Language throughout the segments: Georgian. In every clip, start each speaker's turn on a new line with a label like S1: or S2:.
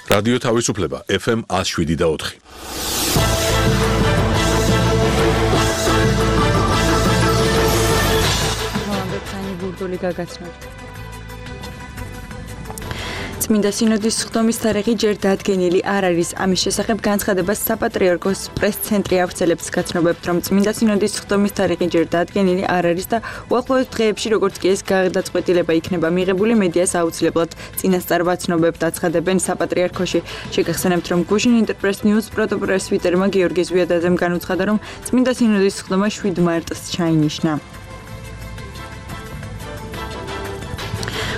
S1: რადიო თავისუფლება FM 107.4.
S2: წმინდა სინოდის სხდომის თარიღი ჯერ დადგენილი არ არის. ამის შესახებ განცხადებას საპატრიარქოს პრეს-ცენტრი ავრცელებს, გაცნობებთ, რომ წმინდა სინოდის სხდომის თარიღი ჯერ დადგენილი არ არის და უახლოეს დღეებში, როგორც კი ეს გადაწყვეტილება იქნება მიღებული, მედიას აუცილებლად წინასწარ ვაცნობებთ, აცხადებენ საპატრიარქოში. შეგახსენებთ, რომ გუშინ ინტერპრეს ნიუს პრესვიტერმა გიორგი ზვიადაძემ განუცხადა, რომ წმინდა სინოდის სხდომა 7 მარტს ჩაინიშნა.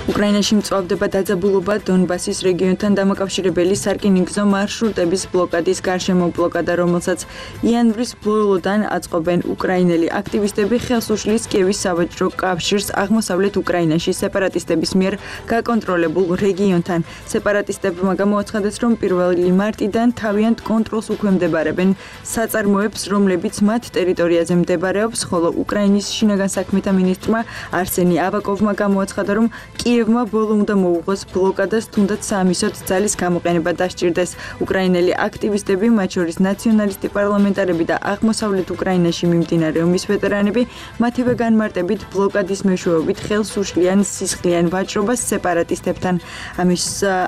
S2: უკრაინაში მწვავდება დაძაბულობა დონბასის რეგიონთან დამაკავშირებელი სარკინიგზო მარშრუტების ბლოკადის გარშემო. ბლოკადა, რომელსაც იანვრის ბოლოდან აწყობენ უკრაინელი აქტივისტები, ხელს უშლის კიევის სავაჭრო კავშირს აღმოსავლეთ უკრაინაში სეპარატისტების მიერ გაკონტროლებულ რეგიონთან. სეპარატისტებმა გამოაცხადეს, რომ 1 მარტიდან თავიანთ კონტროლს უქვემდებარებენ საწარმოებს, რომლებიც მათ ტერიტორიაზე მდებარეობს, ხოლო უკრაინის შინაგან საქმეთა მინისტრმა არსენი ავაკოვმა გამოაცხადა, რომ კიევმა ბოლო უნდა მოუღოს ბლოკადას, თუნდაც საამისოდ ძალის გამოყენება დასჭირდეს. უკრაინელი აქტივისტები, მათ შორის ნაციონალისტი პარლამენტარები და აღმოსავლეთ უკრაინაში მიმდინარე ომის ვეტერანები, მათივე განმარტებით ბლოკადის მეშვეობით ხელს უშლიან სისხლიან ვაჭრობას სეპარატისტებთან.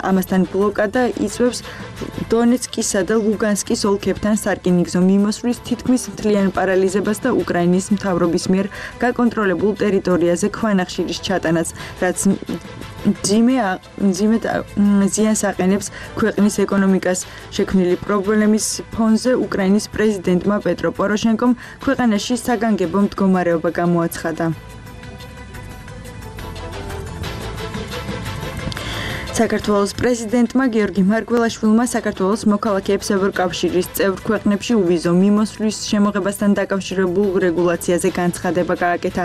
S2: ამასთან ბლოკადა იწვევს დონეცკისა და ლუგანსკის ოლქებთან სარკინიგზო მიმოსვლის თითქმის მთლიან პარალიზებას და უკრაინის მთავრობის მიერ გაკონტროლებულ ტერიტორიაზე ქვანახშირის ჩატანას, რაც ზიანს აყენებს ქვეყნის ეკონომიკას. შექმნილი პრობლემის ფონზე უკრაინის პრეზიდენტმა პეტრო პოროშენკომ ქვეყანაში საგანგებო მდგომარეობა გამოაცხადა. საქართველოს პრეზიდენტმა გიორგი მარგველაშვილმა საქართველოს მოქალაქეებს ევროკავშირის წევრ ქვეყნებში უვიზო მიმოსვლის შემოღებასთან დაკავშირებულ რეგულაციაზე განცხადება გააკეთა.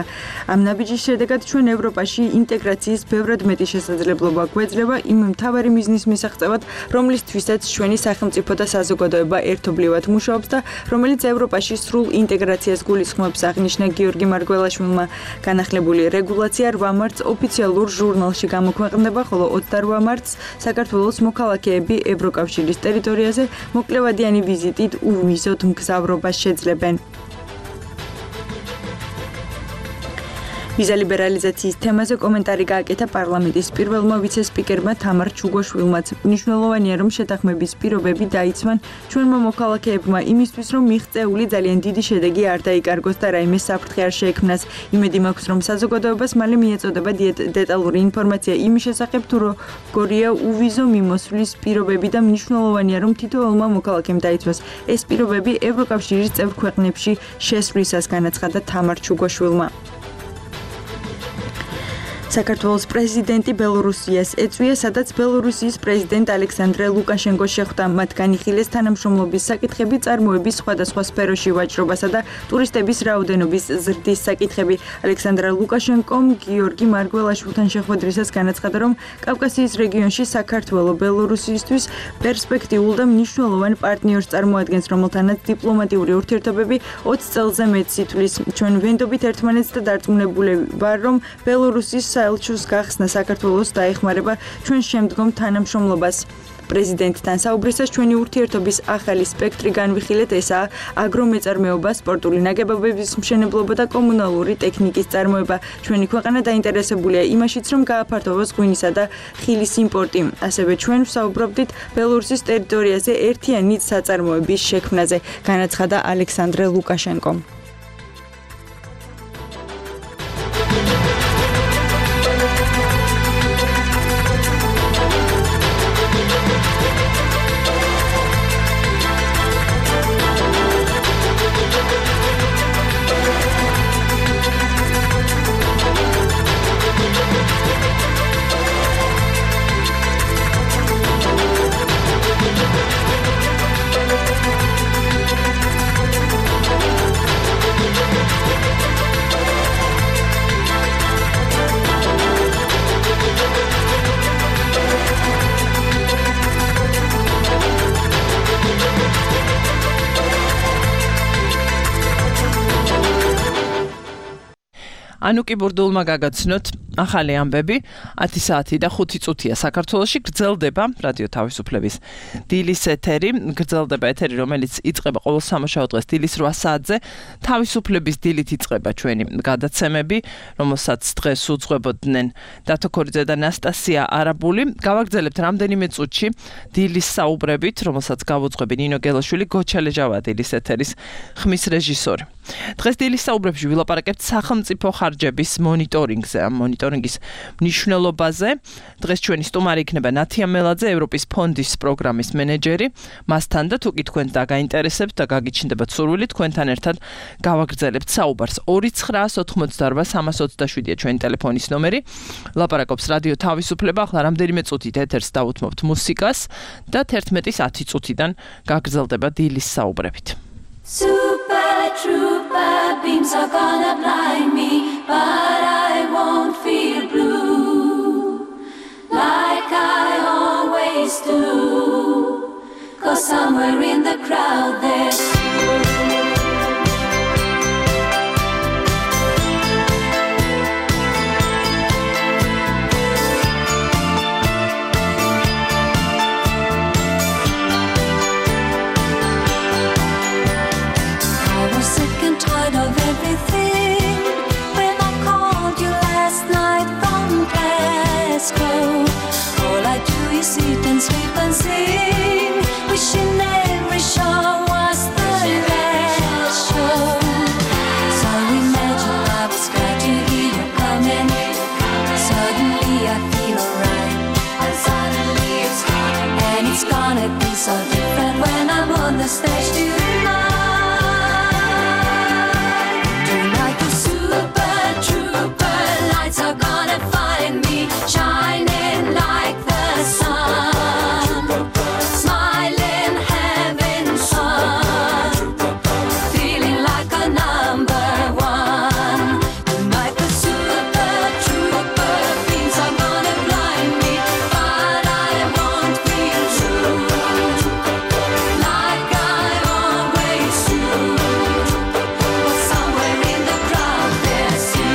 S2: ამ ნაბიჯის შედეგად ჩვენ ევროპაში ინტეგრაციის ბევრად მეტი შესაძლებლობა გვეძლება იმ მთავარი მიზნის მისაღწევად, რომლისთვისაც ჩვენი სახელმწიფო და საზოგადოება ერთობლივად მუშაობს და რომელიც ევროპაში სრულ ინტეგრაციას გულისხმობს, აღნიშნა გიორგი მარგველაშვილმა. განახლებული რეგულაცია 8 მარტს ოფიციალურ ჟურნალში გამოქვეყნდება, ხოლო 28 მარტს საქართველოს მოქალაქეები ევროკავშირის ტერიტორიაზე მოკლევადიანი ვიზიტით უვიზოდ მგზავრობას შეძლებენ. ვიზა ლიბერალიზაციის თემაზე კომენტარი გააკეთა პარლამენტის პირველმა ვიცე-სპიკერმა თამარ ჩუგოშვილმაც. მნიშვნელოვანია, რომ შეთანხმების პირობები დაიცვან ჩვენმა მოქალაქეებმა იმისთვის, რომ მიღწეული ძალიან დიდი შედეგი არ დაიკარგოს და რაიმე საფრთხე არ შეექმნას. იმედი მაქვს, რომ საზოგადოებას მალე მიეწოდება დეტალური ინფორმაცია იმის შესახებ, თუ როგორია უვიზო მიმოსვლის პირობები და მნიშვნელოვანია, რომ თითოეულმა მოქალაქემ დაიცვას ეს პირობები ევროკავშირის წევრ ქვეყნებში შესვლისას, განაცხადა თამარ ჩუგოშვილმა. საქართველოს პრეზიდენტი ბელორუსიას ეწვია, სადაც ბელორუსიის პრეზიდენტ ალექსანდრე ლუკაშენკოს შეხვდა. მათ განიხილეს თანამშრომლობის საკითხები, წარმოების სხვადასხვა სფეროში ვაჭრობასა და ტურისტების რაოდენობის ზრდის საკითხები. ალექსანდრე ლუკაშენკომ გიორგი მარგველაშვილთან შეხვედრისას განაცხადა, რომ კავკასიის რეგიონში საქართველო ბელორუსისთვის პერსპექტიულ და მნიშვნელოვან პარტნიორს წარმოადგენს, რომელთანაც დიპლომატიური ურთიერთობები 20 წელზე მეტს ითვლის. ჩვენ ვენდობით ერთმანეთს და დარწმუნებული ვარ, რომ ბელორუსის საელჩოს გახსნა საქართველოს დაეხმარება ჩვენ შემდგომ თანამშრომლობას. პრეზიდენტთან საუბრისას ჩვენი ურთიერთობის ახალი სპექტრი განვიხილეთ, ესაა აგრომეწარმეობა, სპორტული ნაგებობების მშენებლობა და კომუნალური ტექნიკის წარმოება. ჩვენი ქვეყანა დაინტერესებულია იმაშიც, რომ გააფართოვოს ღვინისა და ხილის იმპორტი. ასევე ჩვენ ვსაუბრობდით ბელორუსის ტერიტორიაზე ერთიანი საწარმოების შექმნაზე, განაცხადა ალექსანდრე ლუკაშენკომ.
S3: ანუკი ბურდულმა გაგაცნოთ ახალი ამბები 10 საათი და 5 წუთია საქართველოში გრძელდება რადიო თავისუფლების დილის ეთერი გრძელდება ეთერი რომელიც იწყება ყოველ სამუშაო დღეს დილის 8 საათზე თავისუფლების დილით იწყება ჩვენი გადაცემები რომელსაც დღეს უძღვებოდნენ დათო ქორიძე და ნასტასია არაბული გავაგრძელებთ რამდენიმე წუთში დილის საუბრებით რომელსაც გავუძღვები ნინო გელაშვილი გოჩალეჟავა დილის ეთერის ხმის რეჟისორი დღეს დილის საუბრებში ვილაპარაკებთ სახელმწიფო ხარჯების მონიტორინგზე მონიტორინგის მნიშვნელობაზე დღეს ჩვენი სტუმარი იქნება ნათია მელაძე ევროპის ფონდის პროგრამის მენეჯერი მასთან და თუ კი თქვენ დაგაინტერესებთ და გაგიჩნდებათ სურვილი თქვენთან ერთად გავაგრძელებთ საუბარს 2988327-ია ჩვენი ტელეფონის ნომერი ლაპარაკობს რადიო თავისუფლება ახლა რამდენიმე წუთით ეთერს დავუთმობთ მუსიკას და 11:10 წუთიდან გაგრძელდება დილის საუბრებით
S4: Super trooper beams are gonna blind me, but I won't feel blue like I always do. 'Cause somewhere in the crowd there's of everything when I called you last night from Glasgow. All I do is eat and sleep and sing, wishing every show was the last show. So imagine I was glad to hear you coming. Suddenly I feel alright, and suddenly it's gone, and it's gonna be so different when I'm on the stage tonight. Are gonna find me shining like the sun, smiling, having fun, feeling like a number one. Tonight the super trooper beams are gonna blind me, but I won't feel true like I always do. But somewhere in the crowd there's you.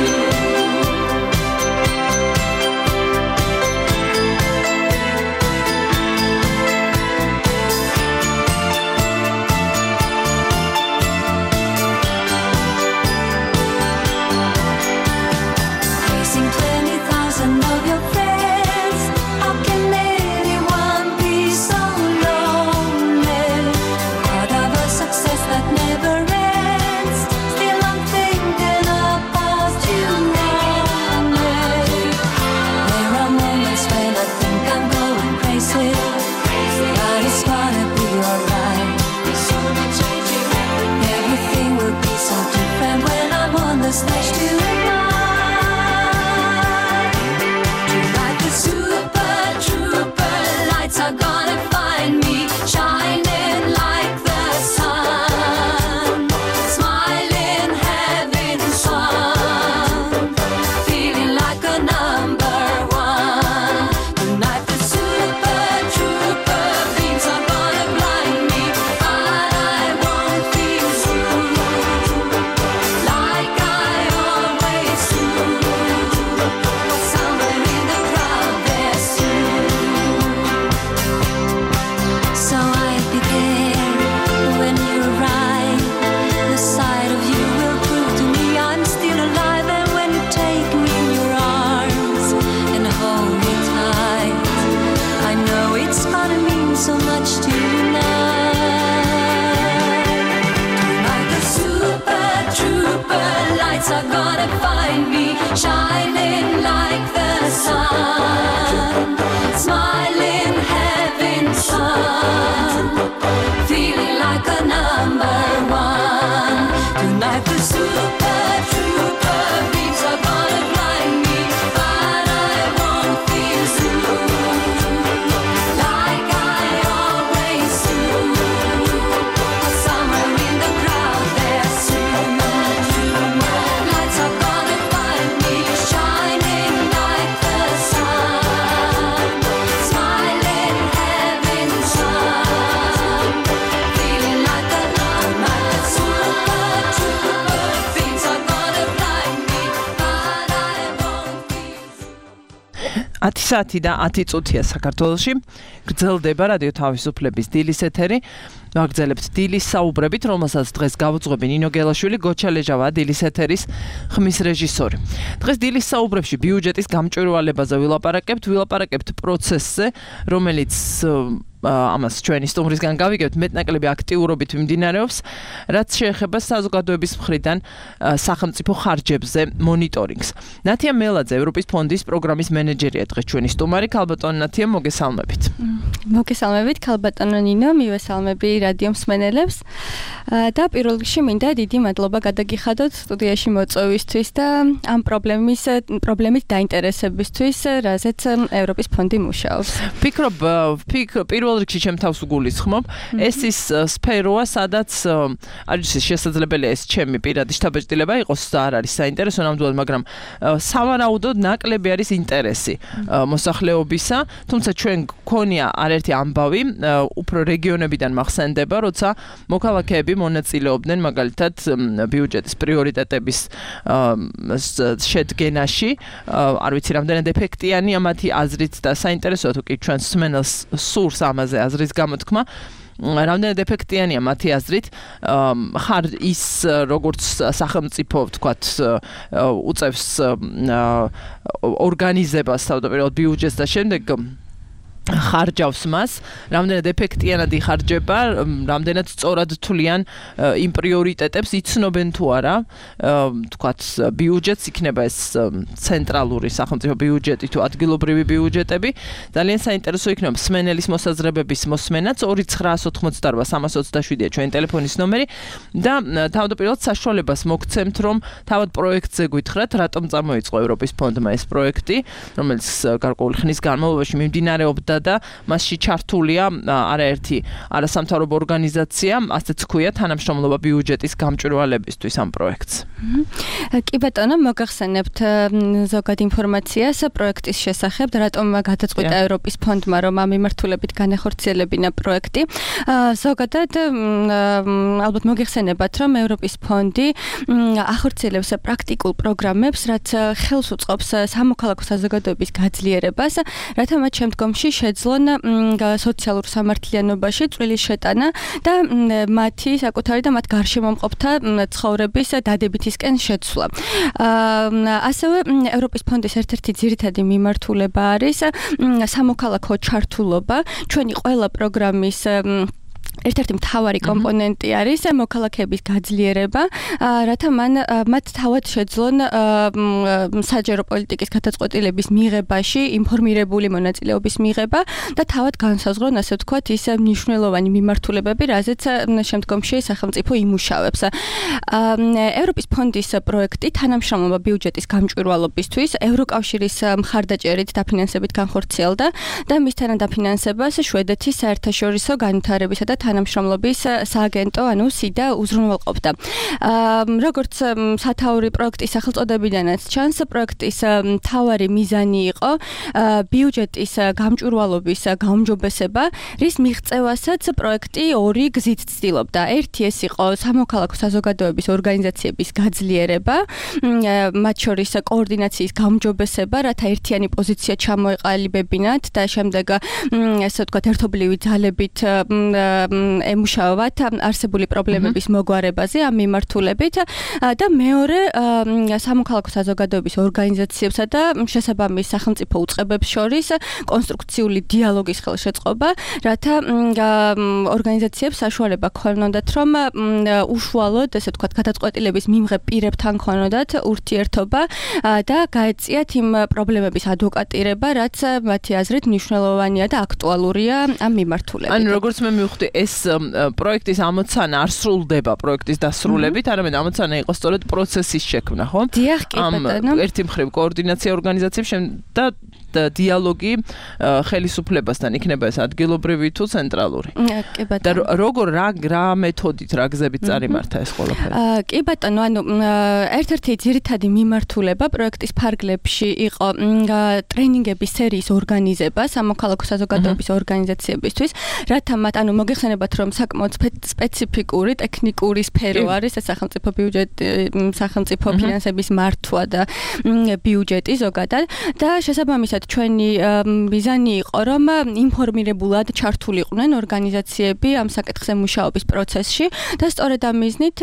S4: Facing 20,000 of your friends, how can anyone be so lonely? Part of a success that never ends. Still I'm thinking about you only. There are moments when I think I'm going crazy, but it's gonna be alright. Everything will be so different when I'm on the stage tonight. Tonight the super trooper lights are gonna find me shining like the sun, smiling, having fun, feeling like a number one. Tonight the super trooper beams are gonna blind me, but I won't feel true like I always do. Somewhere in the crowd there's you. So I began when you arrive. The sight of you will prove to me I'm still alive. And when you take me in your arms and hold me tight, I know it's gonna mean so much tonight. Tonight the super trooper lights are gonna find me shining like the sun, smiling, having fun, feeling like a number one. Tonight the super trooper beams are gonna blind me, but I won't feel true like I always do. Somewhere in the crowd there's you. Lights are gonna find me shining like the sun, smiling, having fun, feeling like a number. The super trooper beams
S3: 10 საათი და 10 წუთია საქართველოში. გრძელდება რადიო თავისუფლების დილის ეთერი. ვაგრძელებთ დილის საუბრებით, რომელსაც დღეს გავუძღვები ნინო გელაშვილი, გოჩა ლეჟავა, დილის ეთერის ხმის რეჟისორი. დღეს დილის საუბრებში ბიუჯეტის გამჭვირვალებაზე ვილაპარაკებთ პროცესზე, რომელიც ამას ჩვენი სტუმრისგან გავიგებთ, მეტნაკლები აქტიურობით მიმდინარეობს, რაც შეეხება საზოგადოების მხრიდან სახელმწიფო ხარჯებზე მონიტორინგს. ნათია მელაძე, ევროპის ფონდის პროგრამის მენეჯერია დღეს ჩვენი სტუმარი. ქალბატონო ნათია, მოგესალმებით.
S5: მოგესალმებით, ქალბატონო ნინო, მივესალმები რადიო მსმენელებს. და პირველ რიგში მინდა დიდი მადლობა გადაგიხადოთ სტუდიაში მოწვევისთვის და ამ პრობლემით დაინტერესებისთვის, რაზეც ევროპის ფონდი მუშაობს.
S3: ფიქრობ, პირველ რიგში ჩემ თავს უგულისხმობ, ეს ის სფეროა, სადაც არის შესაძლებელია ეს ჩემი პირადი შთაბეჭდილება იყოს და არ არის საინტერესო ნამდვილად, მაგრამ სავარაუდოდ ნაკლები არის ინტერესი მოსახლეობისა, თუმცა ჩვენ გქონია არაერთი ამბავი, უფრო რეგიონებიდან მახსენდება, როცა მოქალაქეები მონაწილეობდნენ მაგალითად ბიუჯეტის პრიორიტეტების შედგენაში, არ ვიცი რამდენად ეფექტიანია მათი აზრით და საინტერესოა თუ კი ჩვენ მსმენელს სურს ამაზე აზრის გამოთქმა. რამდენად ეფექტიანია მათი აზრით ხარ ის როგორც სახელმწიფო ვთქვათ უწევს ორგანიზებას თავდაპირველად ბიუჯეტს და შემდეგ ხარჯავს მას, რამდენად ეფექტიანად იხარჯება, რამდენად სწორად თვლიან იმ პრიორიტეტებს, იცნობენ თუ არა, თქვათ ბიუჯეტს იქნება ეს ცენტრალური სახელმწიფო ბიუჯეტი თუ ადგილობრივი ბიუჯეტები. ძალიან საინტერესო იქნება მსმენელის მოსაზრებების მოსმენაც 2988327-ია ჩვენი ტელეფონის ნომერი და თავდაპირველად საშუალებას მოგცემთ, რომ თავად პროექტზე გითხრათ, რატომ წამოიწყო ევროპის ფონდმა ეს პროექტი, რომელიც გარკვეული ხნის განმავლობაში მიმდინარეობდა და მასში ჩართულია არაერთი არასამთავრობო ორგანიზაცია, ასეც ქვია თანამშრომლობა ბიუჯეტის გამჭვირვალებისთვის ამ პროექტს.
S5: კი ბატონო, მოგახსენებთ ზოგად ინფორმაციას პროექტის შესახებ, რატომ გადაწყვიტა ევროპის ფონდმა, რომ ამ მიმართულებით განახორციელებინა პროექტი. ზოგადად ალბათ მოგიხსენებათ, რომ ევროპის ფონდი ახორციელებს პრაქტიკულ პროგრამებს, რაც ხელს უწყობს სამოქალაქო საზოგადოების გაძლიერებას, რათა მათ შემდგომში შეძლონ სოციალურ სამართლიანობაში წვრილის შეტანა და მათი საკუთარი და მათ გარშემომყოფთა ცხოვრების დადებითისკენ შეცვლა. ასევე ევროპის ფონდის ერთ-ერთი ძირითადი მიმართულება არის სამოქალაქო ჩართულობა. ჩვენი ყველა პროგრამის ერთ-ერთი მთავარი კომპონენტი არის მოქალაქეების გაძლიერება, რათა მათ თავად შეძლონ საჯარო პოლიტიკის გადაწყვეტილების მიღებაში ინფორმირებული მონაწილეობის მიღება და თავად განსაზღვრონ, ასე ვთქვათ, ის მნიშვნელოვანი მიმართულებები, რაზეც შემდგომში სახელმწიფო იმუშავებს. ევროპის ფონდის პროექტი თანამშრომლობა ბიუჯეტის გამჭვირვალობისთვის ევროკავშირის მხარდაჭერით დაფინანსებით განხორციელდა და მისთან დაფინანსებას შვედეთის საერთაშორისო განვითარებისა და თანამშრომლობის სააგენტო, ანუ სიდა უზრუნველყოფდა. როგორც სათაური პროექტის სახელწოდებიდანაც ჩანს, პროექტის მთავარი მიზანი იყო ბიუჯეტის გამჭვირვალობის გაუმჯობესება, რის მიღწევასაც პროექტი ორი გზით ცდილობდა. ერთი ეს იყო სამოქალაქო საზოგადოების ორგანიზაციების გაძლიერება, მათ შორის კოორდინაციის გაუმჯობესება, რათა ერთიანი პოზიცია ჩამოეყალიბებინათ და შემდეგ ესე ვთქვათ ერთობლივი ძალებით ემუშავებათ არსებული პრობლემების მოგვარებაზე ამ მიმართულებით და მეორე სამოქალაქო საზოგადოების ორგანიზაციებსა და შესაბამის სახელმწიფო უწყებებს შორის კონსტრუქციული დიალოგის ხელშეწყობა, რათა ორგანიზაციებს საშუალება ქონოდათ, რომ უშუალოდ, ესე ვთქვათ, გადაწყვეტილების მიმღებ პირებთან ქონოდათ ურთიერთობა და გაეწიათ იმ პრობლემების ადვოკატირება, რაც მათი აზრით მნიშვნელოვანია და აქტუალურია ამ მიმართულებით.
S3: ანუ როგორც მე მივხვდი, ეს პროექტის ამოცანა არ სრულდება პროექტის დასრულებით, არამედ ამოცანა იყო სწორედ პროცესის შექმნა, ხო?
S5: დიახ, კი ბატონო.
S3: ერთი მხრივ კოორდინაცია ორგანიზაციებს და დიალოგი ხელისუფლებასთან იქნება ეს ადგილობრივი თუ ცენტრალური.
S5: კი ბატონო.
S3: და როგორ რა მეთოდით, რა გზებით წარიმართა ეს ყველაფერი?
S5: კი ბატონო, ანუ ერთ-ერთი ძირითადი მიმართულება პროექტის ფარგლებში იყო ტრენინგების სერიის ორგანიზება სამოქალაქო საზოგადოების ორგანიზაციებისთვის, რათა მათ ანუ მოგეხსენებათ, რომ საკმაოდ სპეციფიკური ტექნიკური სფერო არის ეს სახელმწიფო ბიუჯეტი, სახელმწიფო ფინანსების მართვა და ბიუჯეტი ზოგადად და შესაბამისად ჩვენი მიზანი იყო, რომ ინფორმირებულად ჩართულიყვნენ ორგანიზაციები ამ საკითხზე მუშაობის პროცესში და სწორედ ამ მიზნით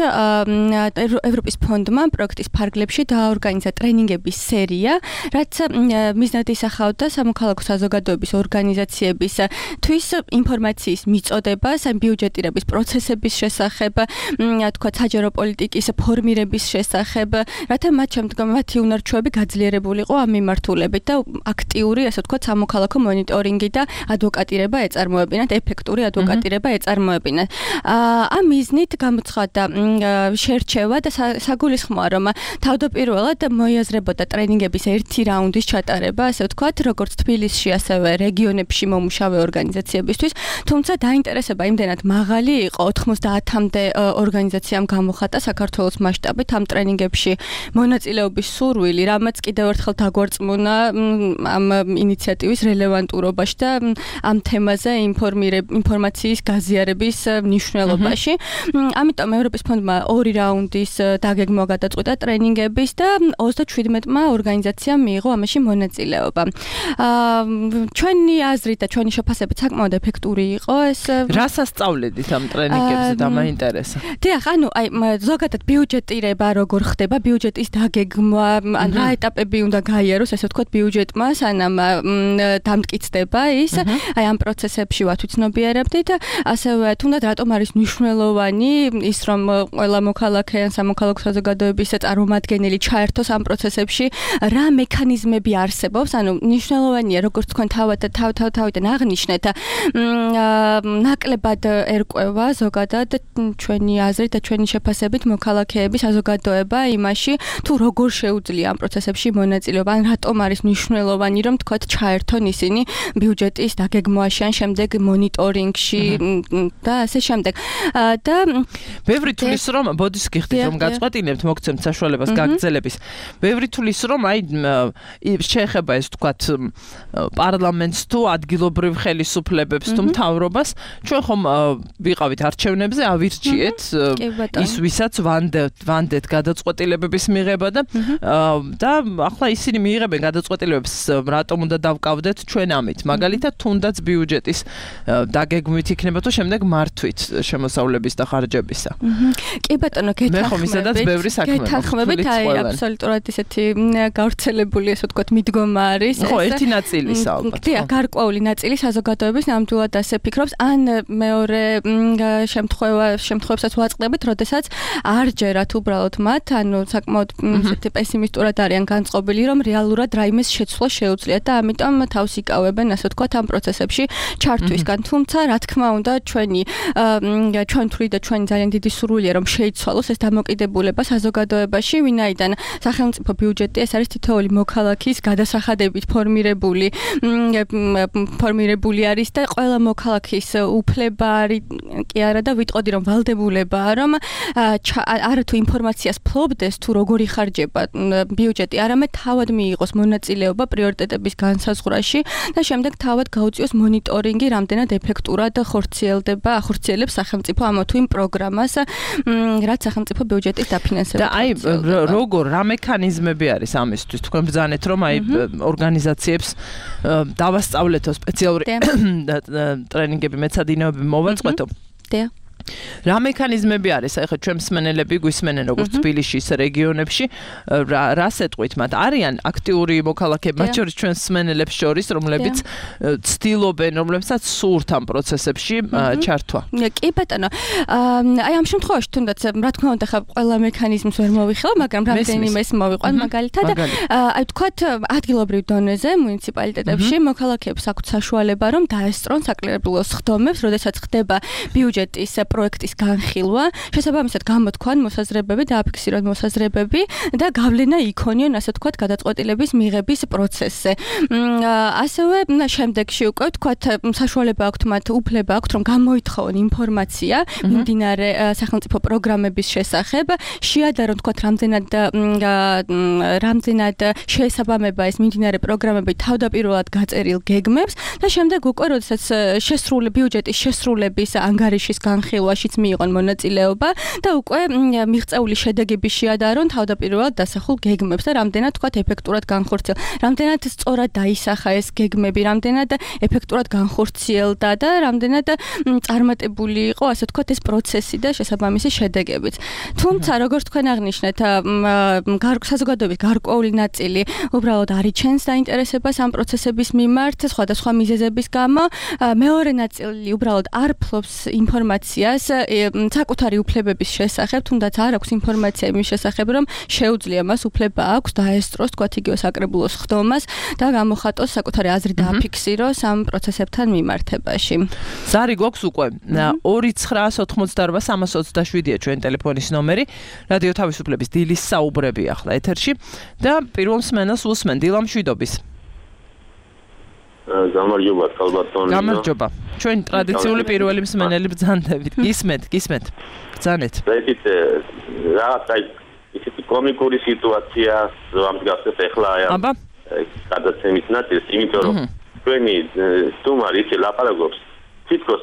S5: ევროპის ფონდმა პროექტის ფარგლებში დააორგანიზა ტრენინგების სერია, რაც მიზნად ისახავდა სამოქალაქო საზოგადოების ორგანიზაციების თვის ინფორმაციის მიწოდებას, ბიუჯეტირების პროცესების შესახებ, თქვათ საჯარო პოლიტიკის ფორმირების შესახებ, რათა მათი უნარჩვევები გაძლიერებულიყო ამ მიმართულებით და აქტიური, ასე ვთქვათ, სამოქალაქო მონიტორინგი და ადვოკატირება ეწარმოებინათ, ეფექტური ადვოკატირება ეწარმოებინათ. ამ მიზნით გამოცხადდა შერჩევა და საგულისხმოა, რომ თავდაპირველად მოიაზრებოდა ტრენინგების ერთი რაუნდის ჩატარება, ასე ვთქვათ, როგორც თბილისში, ასევე რეგიონებში მომუშავე ორგანიზაციებისთვის, თუმცა დაინტერესება იმდენად მაღალი იყო, 90-მდე ორგანიზაციამ გამოხატა საქართველოს მასშტაბით ამ ტრენინგებში მონაწილეობის სურვილი, რამაც კიდევ ერთხელ დაგვარწმუნა ამ ინიციატივის რელევანტურობაში და ამ თემაზე ინფორმაციის გაზიარების მნიშვნელობაში. ამიტომ ევროპის ფონდმა 2 რაუნდის დაგეგმვა გადაწყვიტა ტრენინგების და 37-მა ორგანიზაციამ მიიღო ამაში მონაწილეობა. ჩვენი აზრით და ჩვენი შეფასებით საკმაოდ ეფექტური იყო ეს.
S3: რას ასწავლედით ამ ტრენინგებზე და მაინტერესა?
S5: დიახ, ანუ ზოგადად ბიუჯეტირება როგორ ხდება, ბიუჯეტის დაგეგმვა, ან რა ეტაპები უნდა გაიაროს, ასე ვთქვათ, ბიუჯეტმა, სანამ დამტკიცდება ის, ამ პროცესებში ვათვიცნობიერებდით, ასევე თუნდაც რატომ არის მნიშვნელოვანი ის, რომ ყველა მოქალაქე ან სამოქალაქო საზოგადოების წარმომადგენელი ჩაერთოს ამ პროცესებში, რა მექანიზმები არსებობს, ანუ მნიშვნელოვანია, როგორც თქვენ თავიდან აღნიშნეთ, ნაკლებად ერკვევა ზოგადად ჩვენი აზრით და ჩვენი შეფასებით მოქალაქეების საზოგადოება იმაში, თუ როგორ შეუძლია ამ პროცესებში მონაწილეობა, ან რატომ არის მნიშვნელოვანი, რომ თქვათ ჩაერთონ ისინი ბიუჯეტის დაგეგმვაში, ან შემდეგ მონიტორინგში და ასე შემდეგ. და
S3: ბევრი თulis რომ ბოდის გიხდით რომ გაწყვეტინებთ, მოგცემთ საშუალებას გაგრძელების. ბევრი თulis რომ შეეხება ეს თქვათ პარლამენტს თუ ადგილობრივ ხელისუფლებებს თუ მთავრობას, ჩვენ ხომ ვიყავით არჩევნებზე, ავირჩიეთ ის ვისაც ვანდეთ გადაწყვეტილებების მიღება და ახლა ისინი მიიღებენ გადაწყვეტილებებს, რატომ უნდა დავკავდეთ ჩვენ ამით. მაგალითად, თუნდაც ბიუჯეტის დაგეგმვით იქნება თუ შემდეგ მართვით შემოსავლების და ხარჯებისა.
S5: კი ბატონო,
S3: მე ხომ ისედაც ბევრი საქმე
S5: გეთანხმებით, აბსოლუტურად ისეთი გავრცელებული, ასე ვთქვათ, მიდგომა არის.
S3: ხო, ერთი ნაწილისა ალბათ.
S5: დიახ, გარკვეული ნაწილი საზოგადოების ნამდვილად ასე ფიქრობს, ან მეორე შემთხვევებსაც ვაწყდებით, როდესაც არ ჯერათ უბრალოდ მათ, ანუ საკმაოდ ისეთი პესიმისტურად არიან განწყობილი, რომ რეალურად რაიმეს შეცვლა შეუძლიათ და ამიტომ თავს იკავებენ, ასე ვთქვათ, ამ პროცესებში ჩართვისგან. თუმცა, რა თქმა უნდა, ჩვენ თვლით და ჩვენი ძალიან დიდი სურვილია, რომ შეიცვალოს ეს დამოკიდებულება საზოგადოებაში, ვინაიდან სახელმწიფო ბიუჯეტი ეს არის თითოეული მოქალაქის გადასახადებით ფორმირებული არის და ყველა მოქალაქის უფლება არის კი არა და ვიტყოდი რომ ვალდებულებაა, რომ არა თუ ინფორმაციას ფლობდეს თუ როგორი ხარჯება ბიუჯეტი, არამედ თავად მიიღოს მონაწილეობა პრიორიტეტების განსაზღვრაში და შემდეგ თავად გაუწიოს მონიტორინგი, რამდენად ეფექტურად ახორციელებს სახელმწიფო ამ თუ იმ პროგრამას, რაც სახელმწიფო ბიუჯეტის დაფინანსება.
S3: და როგორ რა მექანიზმები არის ამისთვის? თქვენ ბრძანეთ რომ ორგანიზაციებს დავასწავლეთო სპეციალური ტრენინგები, მეცადინეობები მოვაწყვეტო.
S5: დიახ.
S3: რა მექანიზმები არის? ახლა ჩვენ მსმენელები გვისმენენ როგორც თბილისში, ისე რეგიონებში, რას ეტყვით მათ? არიან აქტიური მოქალაქეები, მათ შორის ჩვენ მსმენელებს შორის, რომლებიც ცდილობენ, რომლებსაც სურთ ამ პროცესებში ჩართვა.
S5: კი ბატონო. აი ამ შემთხვევაში თუნდაც რა თქმა უნდა ხა ყველა მექანიზმს ვერ მოვიხილავ, მაგრამ რამდენიმეს მოვიყვან მაგალითად. აი თქვათ ადგილობრივ დონეზე, მუნიციპალიტეტებში მოქალაქეებს აქვთ საშუალება, რომ დაესწრონ საკრებულოს ხდომებს, როდესაც ხდება ბიუჯეტის პროექტის განხილვა, შესაბამისად გამოთქვან მოსაზრებები, დააფიქსირონ მოსაზრებები და გავლენა იქონიონ, ასე ვთქვათ, გადაწყვეტილების მიღების პროცესზე. ასევე შემდეგში უკვე ვთქვათ, საშუალება აქვთ მათ, უფლება აქვთ, რომ გამოითხოვონ ინფორმაცია მიმდინარე სახელმწიფო პროგრამების შესახებ, შეადარონ ვთქვათ, რამდენად შეესაბამება ეს მიმდინარე პროგრამები თავდაპირველად გაწერილ გეგმებს და შემდეგ უკვე, როდესაც ბიუჯეტის შესრულების ანგარიშის განხილვა განხილვაშიც მიიღონ მონაწილეობა და უკვე მიღწეული შედეგების შეადარონ თავდაპირველად დასახულ გეგმებს და რამდენად თქვათ ეფექტურად განხორციელდა, რამდენად სწორად დაისახა ეს გეგმები, რამდენად ეფექტურად განხორციელდა და რამდენად წარმატებული იყო, ასე თქვათ, ეს პროცესი და შესაბამისი შედეგებიც. თუმცა, როგორც თქვენ აღნიშნეთ, საზოგადოების გარკვეული ნაწილი უბრალოდ არ იჩენს დაინტერესებას ამ პროცესების მიმართ სხვადასხვა მიზეზების გამო, მეორე ნაწილი უბრალოდ არ ფლობს ინფორმაციას საკუთარი უფლებების შესახებ, თუნდაც არ აქვს ინფორმაცია იმის შესახებ, რომ შეუძლია მას უფლება აქვს დაესწროს, თქვათ, იგივე საკრებულოს ხდომას და გამოხატოს საკუთარი აზრი დააფიქსიროს ამ პროცესებთან მიმართებაში.
S3: ზარი გვაქვს უკვე 2988327-ია ჩვენ ტელეფონის ნომერი. რადიო თავისუფლების დილის საუბრები ახლა ეთერში და პირველ მსმენელს უსმენ დილამ მშვიდობის.
S6: გამარჯობა, ქალბატონი.
S3: გამარჯობა. ჩვენ ტრადიციული პირველი მსმენელი ბრძანდებით. გისმენთ. ბრძანეთ.
S6: ესეთ რაღაცა ისეთი კომიკური სიტუაცია ამდგარსეთ ახლა
S3: აბა
S6: გადაცემის ნაწილს, იმიტომ რომ ჩვენი სტუმარი ისე ლაპარაკობს თითქოს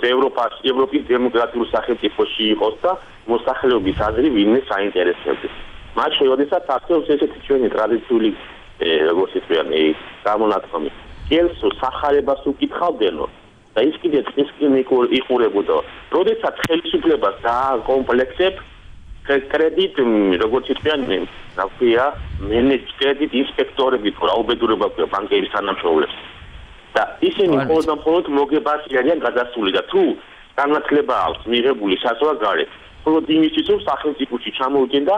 S6: ევროპის დემოკრატიულ სახელმწიფოში იყოს და მოსახლეობის აზრი ვინმე საინტერესებდეს. მათ შეუძლიათ ახსოვს ესეთი ჩვენი ტრადიციული როგორც ისე გამონათქვამი. კელსო სახარებას უკითხავდენო და ის კიდე იყურებოდა. როდესაც ხელისუფლებას დააკომპლექსებ კრედიტ როგორც ისე ნაქვია კრედიტ ინსპექტორები თუ რაუბედურება აქვს ბანკების თანამშრომლებს. და ისინი მხოლოდ მოგებას არიან გადასული და თუ განათლება აქვს მიღებული საზღვარგარეთ, მხოლოდ იმისთვის რომ სახელმწიფოში ჩამოვიდნენ და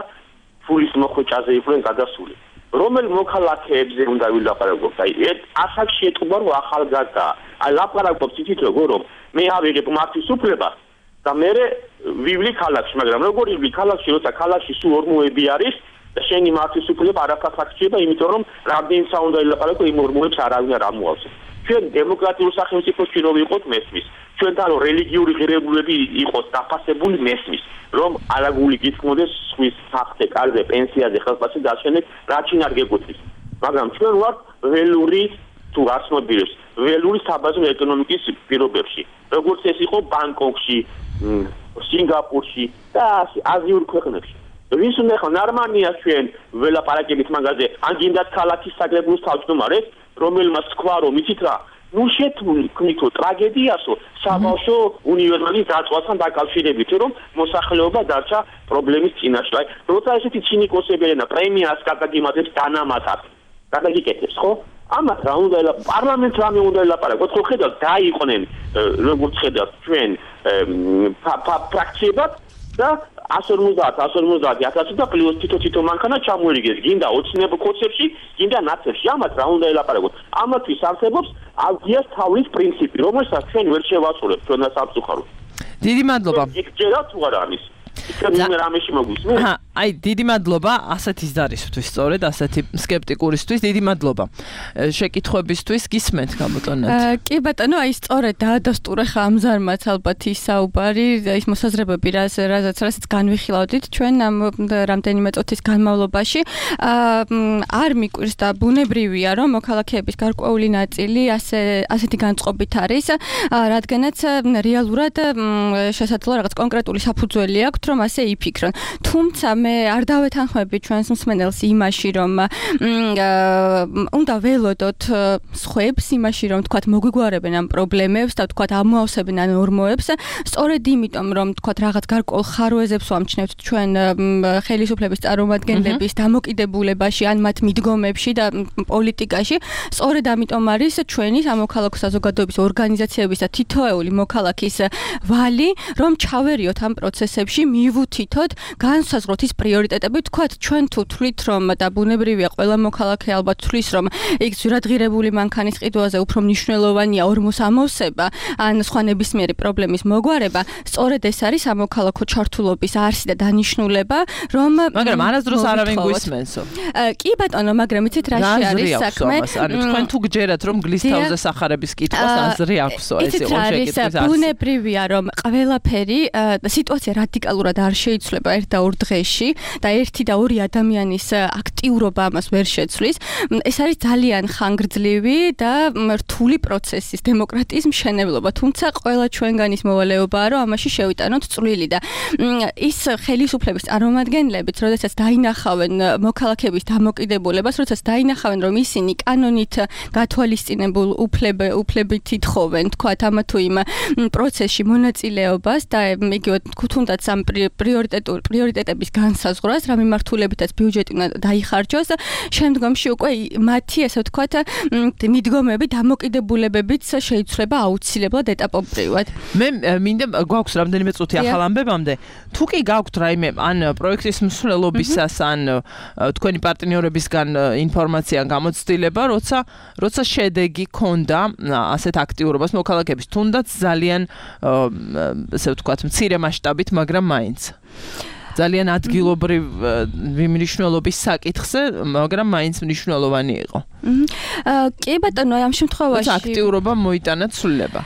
S6: ფულის მოხვეჭაზე იყვნენ გადასული. რომელ მოქალაქეებზე უნდა ვილაპარაკოთ? აი, ასაკში ეთყობა რომ ახალგაზრდა. აი, ლაპარაკობს ისიც როგორ რომ მე ავიღებ მართვის უფლებას და მე ვივლი ქალაქში, მაგრამ როგორ ივლი ქალაქში, როცა ქალაქში სულ ორმოები არის და შენი მართვის უფლება არაფერს აქცია, იმიტომ რომ რამდენიც უნდა ილაპარაკო იმ ორმოებს არავინ არ ამოავს. ჩვენ დემოკრატიულ სახელმწიფოში რომ ვიყოთ მესმის. ჩვენთან რომ რელიგიური ღირებულებები იყოს დაფასებული მესმის. რომ არაგული გითქმოდეს სხვის საფრთხე, კარზე, პენსიაზე, ხელფასზე დაშენეთ, რაც არ გეკუთვნის. მაგრამ ჩვენ ვართ ველური თუ არც მოდირებს, ველური საბაზრო ეკონომიკის პირობებში. როგორც ეს იყო ბანკოკში, სინგაპურში და აზიურ ქვეყნებში. ვის უნდა ხო ნორმალია ჩვენ ველაპარაკებით მაგაზე, ან გინდათ ქალაქის საკრებულოს თავმჯდომარეს, რომელმაც თქვა რომ იცით რა ნუ შეთქმითო ტრაგედიასო საბავშვო უნივერსიტეტის დაწვასთან დაკავშირებით რომ მოსახლეობა დარჩა პრობლემის წინაშე. აი, როცა ესეთი ცინიკოსები და პრემიას გადაგიმატებს დანამატად. გადაგიკეთებს, ხო? ამათ რა უნდა პარლამენტს რამე უნდა ელაპარაკოთ, ხო ხედავთ დაიყვნენ როგორც ხედავთ ჩვენ ფრაქციებად და 150 და პლუს თითო მანქანა ჩამოერიგეს, გინდა ოცნებ კოცებში, გინდა ნაცებში, ამათ რა უნდა ელაპარაკოთ. ამათთვის არსებობს ავგიას თავის პრინციპი, რომელსაც ჩვენ ვერ შევასრულებთ ჩვენ სამწუხაროდ.
S3: დიდი მადლობა.
S6: იქ ჯერა თუ არა ამის. იქ რამეში მოგვისმენთ.
S3: აი, დიდი მადლობა ასეთი ზარისთვის, სწორედ ასეთი სკეპტიკურისთვის, დიდი მადლობა. შეკითხვებისთვის გისმენთ გამოტონად.
S5: კი ბატონო, აი სწორედ დაადასტურა ხამზარმაც ალბათ ის საუბარი, ის მოსაზრებები, რასაც განვიხილავდით ჩვენ ამ რამდენიმე წუთის განმავლობაში. არ მიკვირს და ბუნებრივია, რომ მოქალაქეების გარკვეული ნაწილი ასეთი განწყობით არის, რადგანაც რეალურად შესაძლოა რაღაც კონკრეტული საფუძველი აქვთ, რომ ასე იფიქრონ. თუმცა მე არ დავეთანხმები ჩვენს მსმენელს იმაში, რომ უნდა ველოდოთ სხვებს იმაში, რომ თქვათ მოგვიგوارებენ ამ პრობლემებს და თქვათ ამოავსებენ ან ორმოებს, სწორედ იმიტომ, რომ თქვათ რაღაც გარკვეულ ხარვეზებს ვამჩნევთ ჩვენ ხელისუფლების წარმომადგენლების დამოკიდებულებაში ან მათ მიდგომებში და პოლიტიკაში, სწორედ ამიტომ არის ჩვენი სამოქალაქო საზოგადოების ორგანიზაციების და თითოეული მოქალაქის ვალი, რომ ჩავერიოთ ამ პროცესებში, მივუთითოთ, განსაზღვროთ ის პრიორიტეტები, თქვათ ჩვენ თუ თვლით, რომ და ბუნებრივია ყველა მოქალაქე ალბათ თვლის, რომ იქ ზურადღირებული მანქანის ყიდვაზე უფრო მნიშვნელოვანია ორმოს ამოვსება ან სხვა ნებისმიერი პრობლემის მოგვარება, სწორედ ეს არის სამოქალაქო ჩართულობის არსი და დანიშნულება, რომ
S3: მაგრამ არასდროს არავინ გვისმენსო.
S5: კი ბატონო, მაგრამ იცით რა არის საქმე?
S3: ანუ თქვენ თუ გჯერათ, რომ გლის თავზე სახარების კითხვას აზრი აქვსო, ეს იყო შეკითხვის
S5: ბუნებრივია, რომ ყველაფერი სიტუაცია რადიკალურად არ შეიცვლება ერთ და ორ დღეში. პროცესში და ერთი და ორი ადამიანის აქტიურობა ამას ვერ შეცვლის. ეს არის ძალიან ხანგრძლივი და რთული პროცესის დემოკრატიის მშენებლობა, თუმცა ყველა ჩვენგანის მოვალეობაა, რომ ამაში შევიტანოთ წვლილი და ის ხელისუფლების წარმომადგენლებიც, როდესაც დაინახავენ მოქალაქეების დამოკიდებულებას, როდესაც დაინახავენ, რომ ისინი კანონით გათვალისწინებულ უფლებით ითხოვენ, თქვათ ამა თუ იმ პროცესში მონაწილეობას და იგივე თუნდაც ამ პრიორიტეტების განსაზღვრას, რა მიმართულებითაც ბიუჯეტი უნდა დაიხარჯოს, შემდგომში უკვე მათი, ასე ვთქვათ, მიდგომები, დამოკიდებულებებიც შეიცვლება აუცილებლად ეტაპობრივად.
S3: მე მინდა გვაქვს რამდენიმე წუთი ახალ ამბებამდე. თუ კი გაქვთ რაიმე ან პროექტის მსვლელობისას ან თქვენი პარტნიორებისგან ინფორმაცია გამოცდილება, როცა შედეგი ქონდა ასეთ აქტიურობას მოქალაქეების, თუნდაც ძალიან ასე ვთქვათ, მცირე მასშტაბით, მაგრამ მაინც ძალიან ადგილობრივ მნიშვნელობის საკითხზე, მაგრამ მაინც მნიშვნელოვანი იყო.
S5: კი ბატონო, ამ შემთხვევაში
S3: აქტიურობა მოიტანა ცვლილება.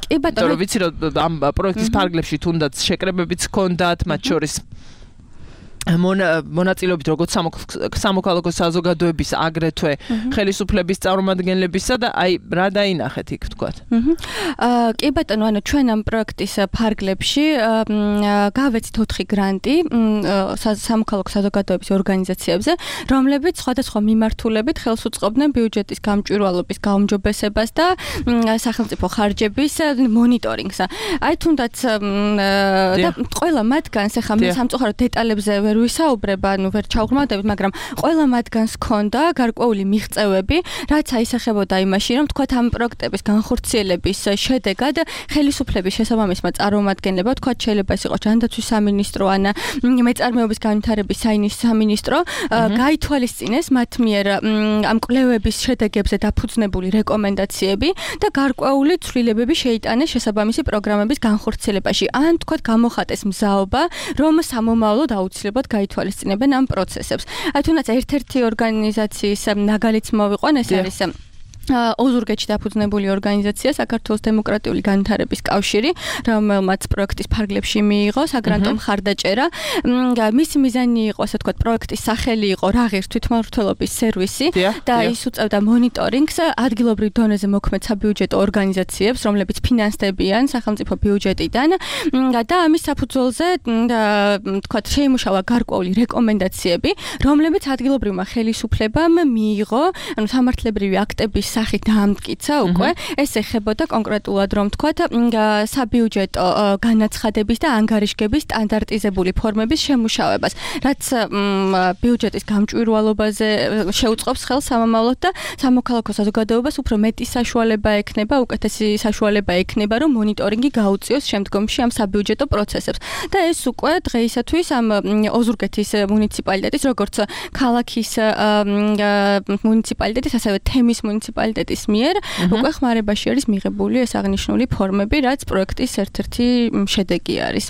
S5: კი ბატონო,
S3: რომ ვიცი, რომ ამ პროექტის ფარგლებში თუნდაც შეკრებებიც ჰქონდათ, მათ შორის მონაწილეობით როგორც სამოქალაქო საზოგადოების, აგრეთვე ხელისუფლების წარმომადგენლებისა და აი რა დაინახეთ იქ თქვათ.
S5: კი ბატონო, ანუ ჩვენ ამ პროექტის ფარგლებში გავეცით 4 გრანტი სამოქალაქო საზოგადოების ორგანიზაციებზე, რომლებიც სხვადასხვა მიმართულებით ხელს უწყობდნენ ბიუჯეტის გამჭვირვალობის გაუმჯობესებას და სახელმწიფო ხარჯების მონიტორინგს. აი თუნდაც და ყველა მათგანს ახლა მე სამწუხაროდ დეტალებზე ვისაუბრებ, ანუ ვერ ჩავღრმავდებით, მაგრამ ყველა მათგანს ჰქონდა გარკვეული მიღწევები, რაც აისახებოდა იმაში, რომ თქვათ ამ პროექტების განხორციელების შედეგად ხელისუფლების შესაბამისმა წარმომადგენლებმა, თქვათ შეიძლება ეს იყოს ჯანდაცვის სამინისტრო ან მეწარმეობის განვითარების სამინისტრო, გაითვალისწინეს მათ მიერ ამ კვლევების შედეგებზე დაფუძნებული რეკომენდაციები და გარკვეული ცვლილებები შეიტანეს შესაბამისი პროგრამების განხორციელებაში. ან თქვათ გამოხატეს მზაობა, რომ სამომავლოდ აუცილებლად გაითვალისწინებენ ამ პროცესებს. აი თუნდაც ერთ-ერთი ორგანიზაციის მაგალითს მოვიყვან, ეს არის ოზურგეთში დაფუძნებული ორგანიზაცია საქართველოს დემოკრატიული განვითარების კავშირი, რომელმაც პროექტის ფარგლებში მიიღო საგრანტო მხარდაჭერა. მისი მიზანი იყო, ასე ვთქვათ, პროექტის სახელი იყო რაღირს თვითმმართველობის სერვისი და ის უწევდა მონიტორინგს ადგილობრივ დონეზე მოქმედ საბიუჯეტო ორგანიზაციებს, რომლებიც ფინანსდებიან სახელმწიფო ბიუჯეტიდან და ამის საფუძველზე, ვთქვათ, შეიმუშავა გარკვეული რეკომენდაციები, რომლებიც ადგილობრივმა ხელისუფლებამ მიიღო, ანუ სამართლებრივი აქტების სახით დაამტკიცა უკვე. ეს ეხებოდა კონკრეტულად, რომ თქვათ, საბიუჯეტო განაცხადების და ანგარიშგების სტანდარტიზებული ფორმების შემუშავებას, რაც ბიუჯეტის გამჭვირვალობაზე შეუწყობს ხელს სამომავლოდ და სამოქალაქო საზოგადოებას უფრო მეტი საშუალება ექნება, უკეთესი საშუალება ექნება, რომ მონიტორინგი გაუწიოს შემდგომში ამ საბიუჯეტო პროცესებს. და ეს უკვე დღეისათვის ამ ოზურგეთის მუნიციპალიტეტის, როგორც ქალაქის მუნიციპალიტეტის, ასევე თემის მუნიციპალიტეტის მიერ უკვე ხმარებაში არის მიღებული ეს აღნიშნული ფორმები, რაც პროექტის ერთ-ერთი შედეგი არის.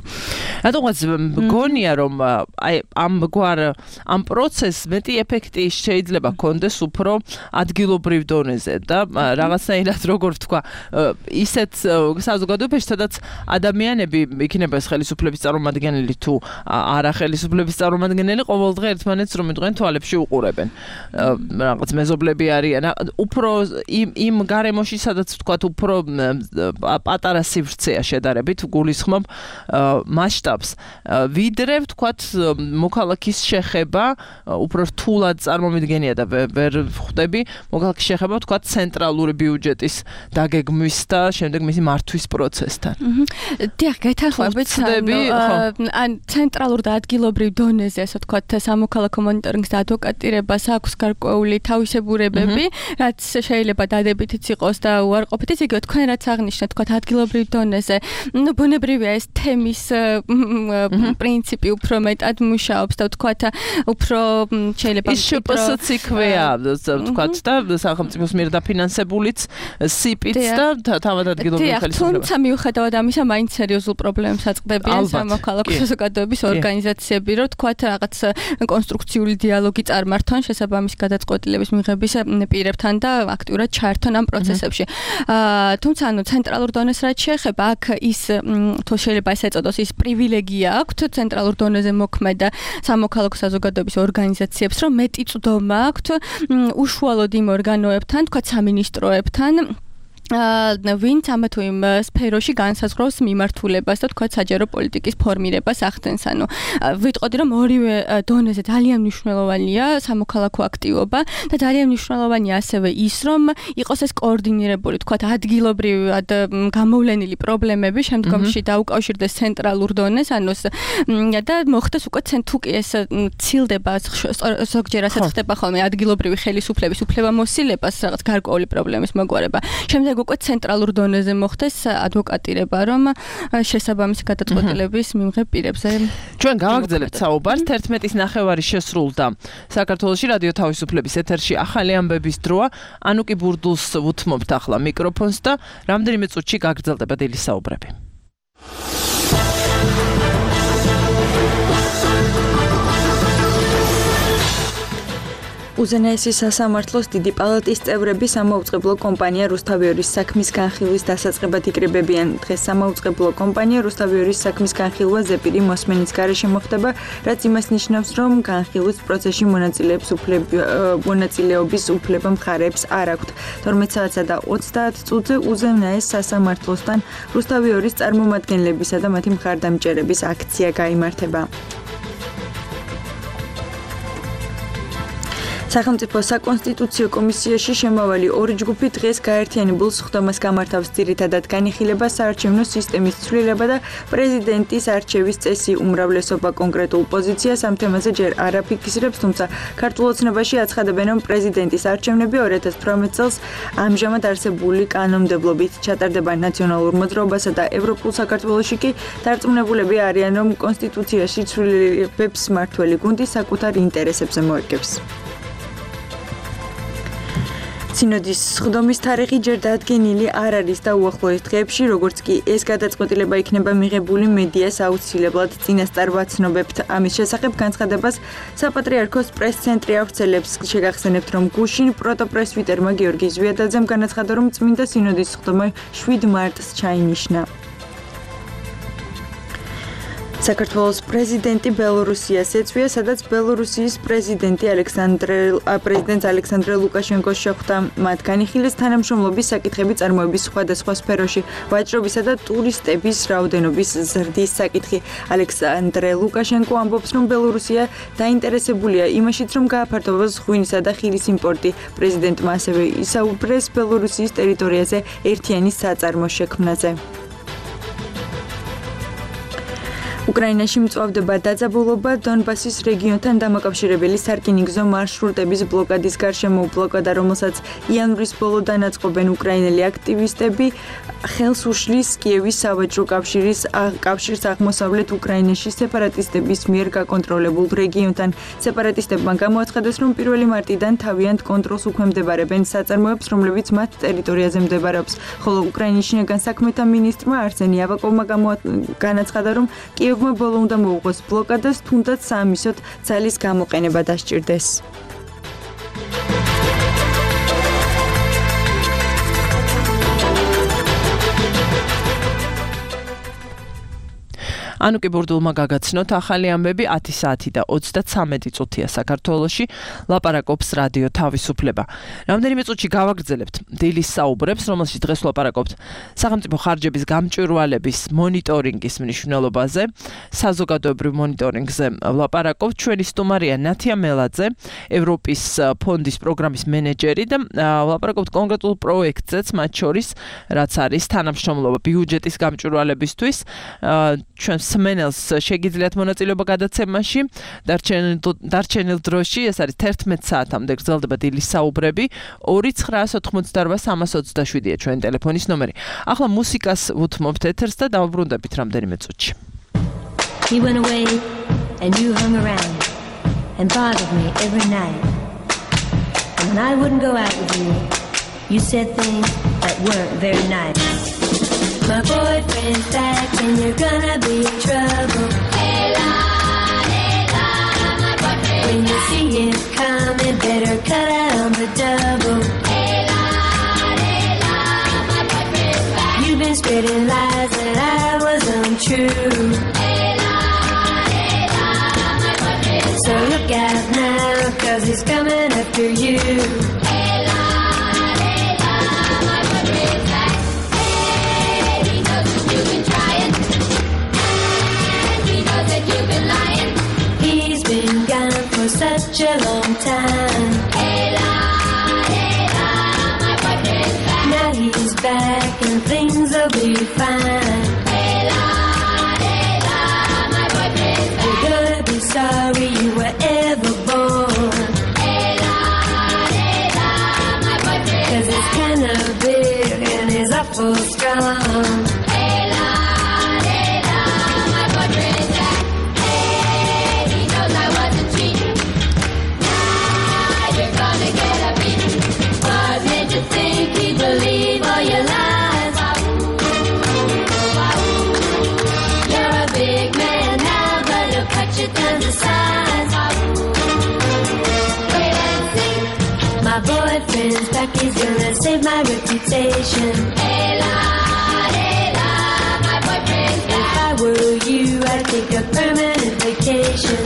S3: რატომაც მგონია, რომ აი ამ პროცესს მეტი ეფექტი შეიძლება ჰქონდეს უფრო ადგილობრივ დონეზე და რაღაცნაირად როგორ ვთქვა, ისეთ საზოგადოებაში, სადაც ადამიანები იქნება ეს ხელისუფლების წარმომადგენელი თუ არა ხელისუფლების წარმომადგენელი, ყოველდღე ერთმანეთს რომ იყვნენ თვალებში უყურებენ. რაღაც მეზობლები არიან, უფრო იმ გარემოში, სადაც ვთქვათ, უფრო პატარა სივრცეა შედარებით, გულისხმობ მასშტაბს. ვიდრე ვთქვათ, მოქალაქის შეხება უფრო რთულად წარმომიდგენია და ვერ ხვდები მოქალაქის შეხება, ვთქვათ, ცენტრალური ბიუჯეტის დაგეგმვის და შემდეგ მისი მართვის პროცესთან.
S5: დიახ, გეთანხმებით, ან ცენტრალურ და ადგილობრივ დონეზე, ასე ვთქვათ, სამოქალაქო მონიტორინგს და ადვოკატირებას აქვს გარკვეული თავისებურებები, რაც შეიძლება დადებითიც იყოს და უარყოფითიც, იგივე თქვენ რაც აღნიშნეთ, თქვათ, ადგილობრივ დონეზე, ბუნებრივია ეს თემის პრინციპი უფრო მეტად მუშაობს და ვთქვათ, უფრო შეიძლება
S3: ის შპს იქვეა, ვთქვათ, და სახელმწიფოს მიერ დაფინანსებულიც სიპიც და თავად ადგილობრივ ხელისუფლებას.
S5: თუმცა მიუხედავად ამისა, მაინც სერიოზულ პრობლემებს აწყდებიან სამოქალაქო საზოგადოების ორგანიზაციები, რომ ვთქვათ, რაღაც კონსტრუქციული დიალოგი წარმართონ შესაბამის გადაწყვეტილების მიღების პირებთან და აქ აქტიურად ჩაერთონ ამ პროცესებში. თუმცა ანუ ცენტრალურ დონეს რაც შეეხება, აქ ის თუ შეიძლება ესე ეწოდოს, ის პრივილეგია აქვთ ცენტრალურ დონეზე მოქმედა სამოქალაქო საზოგადოების ორგანიზაციებს, რომ მეტი წვდომა აქვთ უშუალოდ იმ ორგანოებთან, თქვა სამინისტროებთან, ვინც ამა თუ იმ სფეროში განსაზღვრავს მიმართულებას და თქვა საჯარო პოლიტიკის ფორმირებას ახდენს. ანუ ვიტყოდი რომ ორივე დონეზე ძალიან მნიშვნელოვანია სამოქალაქო აქტივობა და ძალიან მნიშვნელოვანია ასევე ის რომ იყოს ეს კოორდინირებული, თქვა ადგილობრივად გამოვლენილი პრობლემები შემდგომში დაუკავშირდეს ცენტრალურ დონეს, ანუ და მოხდეს უკვე თუ კი ეს ცილდება ზოგჯერ ასე ხდება ხოლმე ადგილობრივი ხელისუფლების უფლებამოსილებას რაღაც გარკვეული პრობლემის მოგვარება. შემდეგ უკვე ცენტრალურ დონეზე მოხდეს ადვოკატირება, რომ შესაბამისი გადაწყვეტილების მიმღებ პირებზე.
S3: ჩვენ გავაგრძელებთ საუბარს 11:09 შესრულდა. საქართველოში რადიო თავისუფლების ეთერში ახალი ამბების დროა. ანუკი ბურდულს უთმობთ ახლა მიკროფონს და რამდენიმე წუთში გაგრძელდება დილის საუბრები.
S2: უზენაესი სასამართლოს დიდი პალატის წევრები სამაუწყებლო კომპანია რუსთავიორის საქმის განხილვის დასაწყებად იკრიბებიან. დღეს სამაუწყებლო კომპანია რუსთავიორის საქმის განხილვა ზეპირი მოსმენის გარეშე მოხდება, რაც იმას ნიშნავს, რომ განხილვის პროცესში მონაწილეობის უფლება მხარეებს არ აქვთ. 12 საათსა და 30 წუთზე უზენაეს სასამართლოსთან რუსთავიორის წარმომადგენლებისა და მათი მხარდამჭერების აქცია გაიმართება. სახელმწიფო საკონსტიტუციო კომისიაში შემავალი ორი ჯგუფი დღეს გაერთიანებულ სხდომას გამართავს. ძირითადად განიხილება საარჩევნო სისტემის ცვლილება და პრეზიდენტის არჩევის წესი. უმრავლესობა კონკრეტულ პოზიციას ამ თემაზე ჯერ არ აფიქსირებს, თუმცა ქართულ ოცნებაში აცხადებენ, რომ პრეზიდენტის არჩევნები 2018 წელს ამჟამად არსებული კანონმდებლობით ჩატარდება. ნაციონალურ მოძრაობასა და ევროპულ საქართველოში კი დარწმუნებულები არიან, რომ კონსტიტუციაში ცვლილებებს მმართველი გუნდი საკუთარ ინტერესებზე მოერგებს. სინოდის სხდომის თარიღი ჯერ დადგენილი არ არის და უახლოეს დღეებში, როგორც კი ეს გადაწყვეტილება იქნება მიღებული, მედიას აუცილებლად წინასწარ ვაცნობებთ. ამის შესახებ განცხადებას საპატრიარქოს პრეს-ცენტრი ავრცელებს. შეგახსენებთ, რომ გუშინ პროტოპრესვიტერმა გიორგი ზვიადაძემ განაცხადა, რომ წმინდა სინოდის სხდომა 7 მარტს ჩაინიშნა. საქართველოს პრეზიდენტი ბელორუსიას ეწვია, სადაც ბელორუსიის პრეზიდენტს ალექსანდრე ლუკაშენკოს შეხვდა. მათ განიხილეს თანამშრომლობის საკითხები წარმოების სხვადასხვა სფეროში, ვაჭრობისა და ტურისტების რაოდენობის ზრდის საკითხი. ალექსანდრე ლუკაშენკო ამბობს, რომ ბელორუსია დაინტერესებულია იმაშიც, რომ გააფართოვოს ღვინისა და ხილის იმპორტი. პრეზიდენტმა ასევე ისაუბრეს ბელორუსიის ტერიტორიაზე ერთიანი საწარმოს შექმნაზე. უკრაინაში მწვავდება დაძაბულობა დონბასის რეგიონთან დამაკავშირებელი სარკინიგზო მარშრუტების ბლოკადის გარშემო. ბლოკადა, რომელსაც იანვრის ბოლოდან აწყობენ უკრაინელი აქტივისტები, ხელს უშლის კიევის სავაჭრო კავშირის აღმოსავლეთ უკრაინაში სეპარატისტების მიერ გაკონტროლებულ რეგიონთან. სეპარატისტებმა გამოაცხადეს, რომ 1 მარტიდან თავიანთ კონტროლს უქვემდებარებენ საწარმოებს, რომლებიც მათ ტერიტორიაზე მდებარეობს. ხოლო უკრაინის შინაგან საქმეთა მინისტრმა არსენი ავაკოვმა განაცხადა, რომ კიევმა ბოლო უნდა მოუღოს ბლოკადას, თუნდაც საამისოდ ძალის გამოყენება დასჭირდეს.
S3: ანუკი ბურდულმა გაგაცნოთ ახალი ამბები 10 საათი და 33 წუთია საქართველოში. ლაპარაკობს რადიო თავისუფლება. რამდენიმე წუთში გავაგრძელებთ დილის საუბრებს, რომელშიც დღეს ვლაპარაკობთ სახელმწიფო ხარჯების გამჭვირვალების მონიტორინგის მნიშვნელობაზე, საზოგადოებრივ მონიტორინგზე ვლაპარაკობთ. ჩვენი სტუმარია ნათია მელაძე, ევროპის ფონდის პროგრამის მენეჯერი და ვლაპარაკობთ კონკრეტულ პროექტზეც, მათ შორის რაც არის თანამშრომლობა ბიუჯეტის გამჭვირვალებისთვის. ჩვენ სმენელს შეგიძლიათ მონაწილეობა გადაცემაში. დარჩენილ დროში, ეს არის 11 საათამდე გრძელდება დილის საუბრები. 2988327-ია ჩვენი ტელეფონის ნომერი. ახლა მუსიკას უთმობთ ეთერს და დავუბრუნდებით რამდენიმე წუთში.
S7: He went away and you hung around and bothered me every night. And when I wouldn't go out with you, you said things that weren't very nice. My boyfriend's back and you're gonna be in trouble. Hey la, my boyfriend. When you see him coming, better cut out on the double. Hey la, spreading lies that I was untrue. So look out now, 'cause he's coming after you. He's been gone for such a long time. Now he's back and things will be fine. You're gonna be sorry you were ever born. 'Cause it's kinda big and he's awful strong. Believe all your lies. You're a big man now, but he'll cut you down to size. Wait and see. My boyfriend's back, he's gonna save my reputation. My boyfriend's back. If I were you, I'd take a permanent vacation.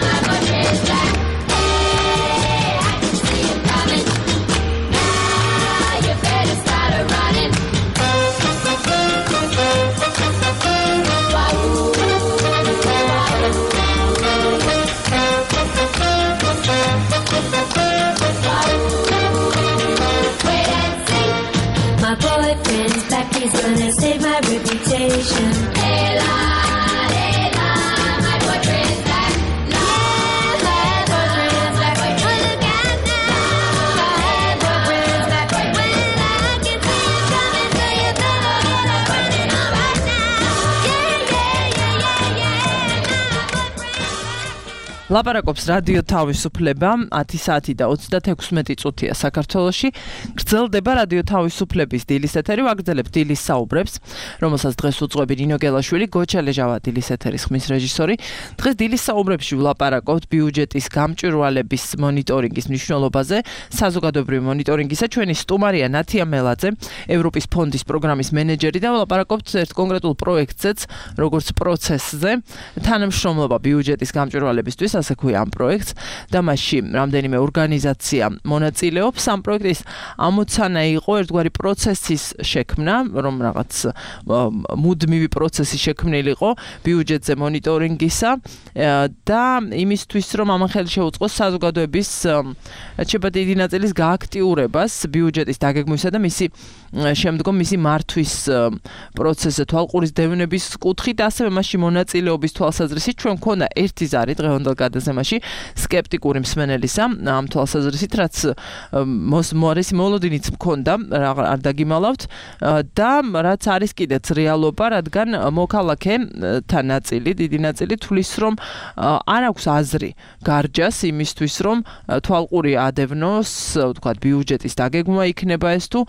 S7: My boyfriend's back. My boyfriend's back, he's gonna save my reputation. My boyfriend's back. My boyfriend's back. Look out now. My boyfriend's back. When I can see him coming, so you better get up running on right now. Yeah.
S3: ლაპარაკობს რადიო თავისუფლება 10 საათი და 36 წუთია საქართველოში. გრძელდება რადიო თავისუფლების დილის ეთერი, ვაგრძელებთ დილის საუბრებს, რომელსაც დღეს უძღვები ნინო გელაშვილი, გოჩა ლეჟავა დილის ეთერის ხმის რეჟისორი. დღეს დილის საუბრებში ვლაპარაკობთ ბიუჯეტის გამჭვირვალების მონიტორინგის მნიშვნელობაზე, საზოგადოებრივი მონიტორინგისა. ჩვენი სტუმარია ნათია მელაძე, ევროპის ფონდის პროგრამის მენეჯერი და ვლაპარაკობთ ერთ კონკრეტულ პროექტზეც, როგორც პროცესზე, თანამშრომლობა ბიუჯეტის გამჭვირვალებისთვის, ასე ქვია ამ პროექტს და მასში რამდენიმე ორგანიზაცია მონაწილეობს. ამ პროექტის ამოცანა იყო ერთგვარი პროცესის შექმნა, რომ რაღაც მუდმივი პროცესი შექმნილიყო ბიუჯეტზე მონიტორინგისა და იმისთვის, რომ ამან ხელი შეუწყოს საზოგადოების რჩება დიდი ნაწილის გააქტიურებას ბიუჯეტის დაგეგმვისა და მისი შემდგომ მისი მართვის პროცესზე თვალყურის დევნების კუთხით, ასევე მასში მონაწილეობის თვალსაზრისით ჩვენ მქონდა ერთი ზარი დღევანდელ გადაცემაში სკეპტიკური მსმენელისა ამ თვალსაზრისით, რაც მორესი მოლოდინიც მქონდა, არ დაგიმალავთ და რაც არის კიდეც რეალობა, რადგან მოქალაქეთა ნაწილი, დიდი ნაწილი თვლის, რომ არ აქვს აზრი გარჯას იმისთვის, რომ თვალყური ადევნოს, ვთქვათ, ბიუჯეტის დაგეგმვა იქნება ეს თუ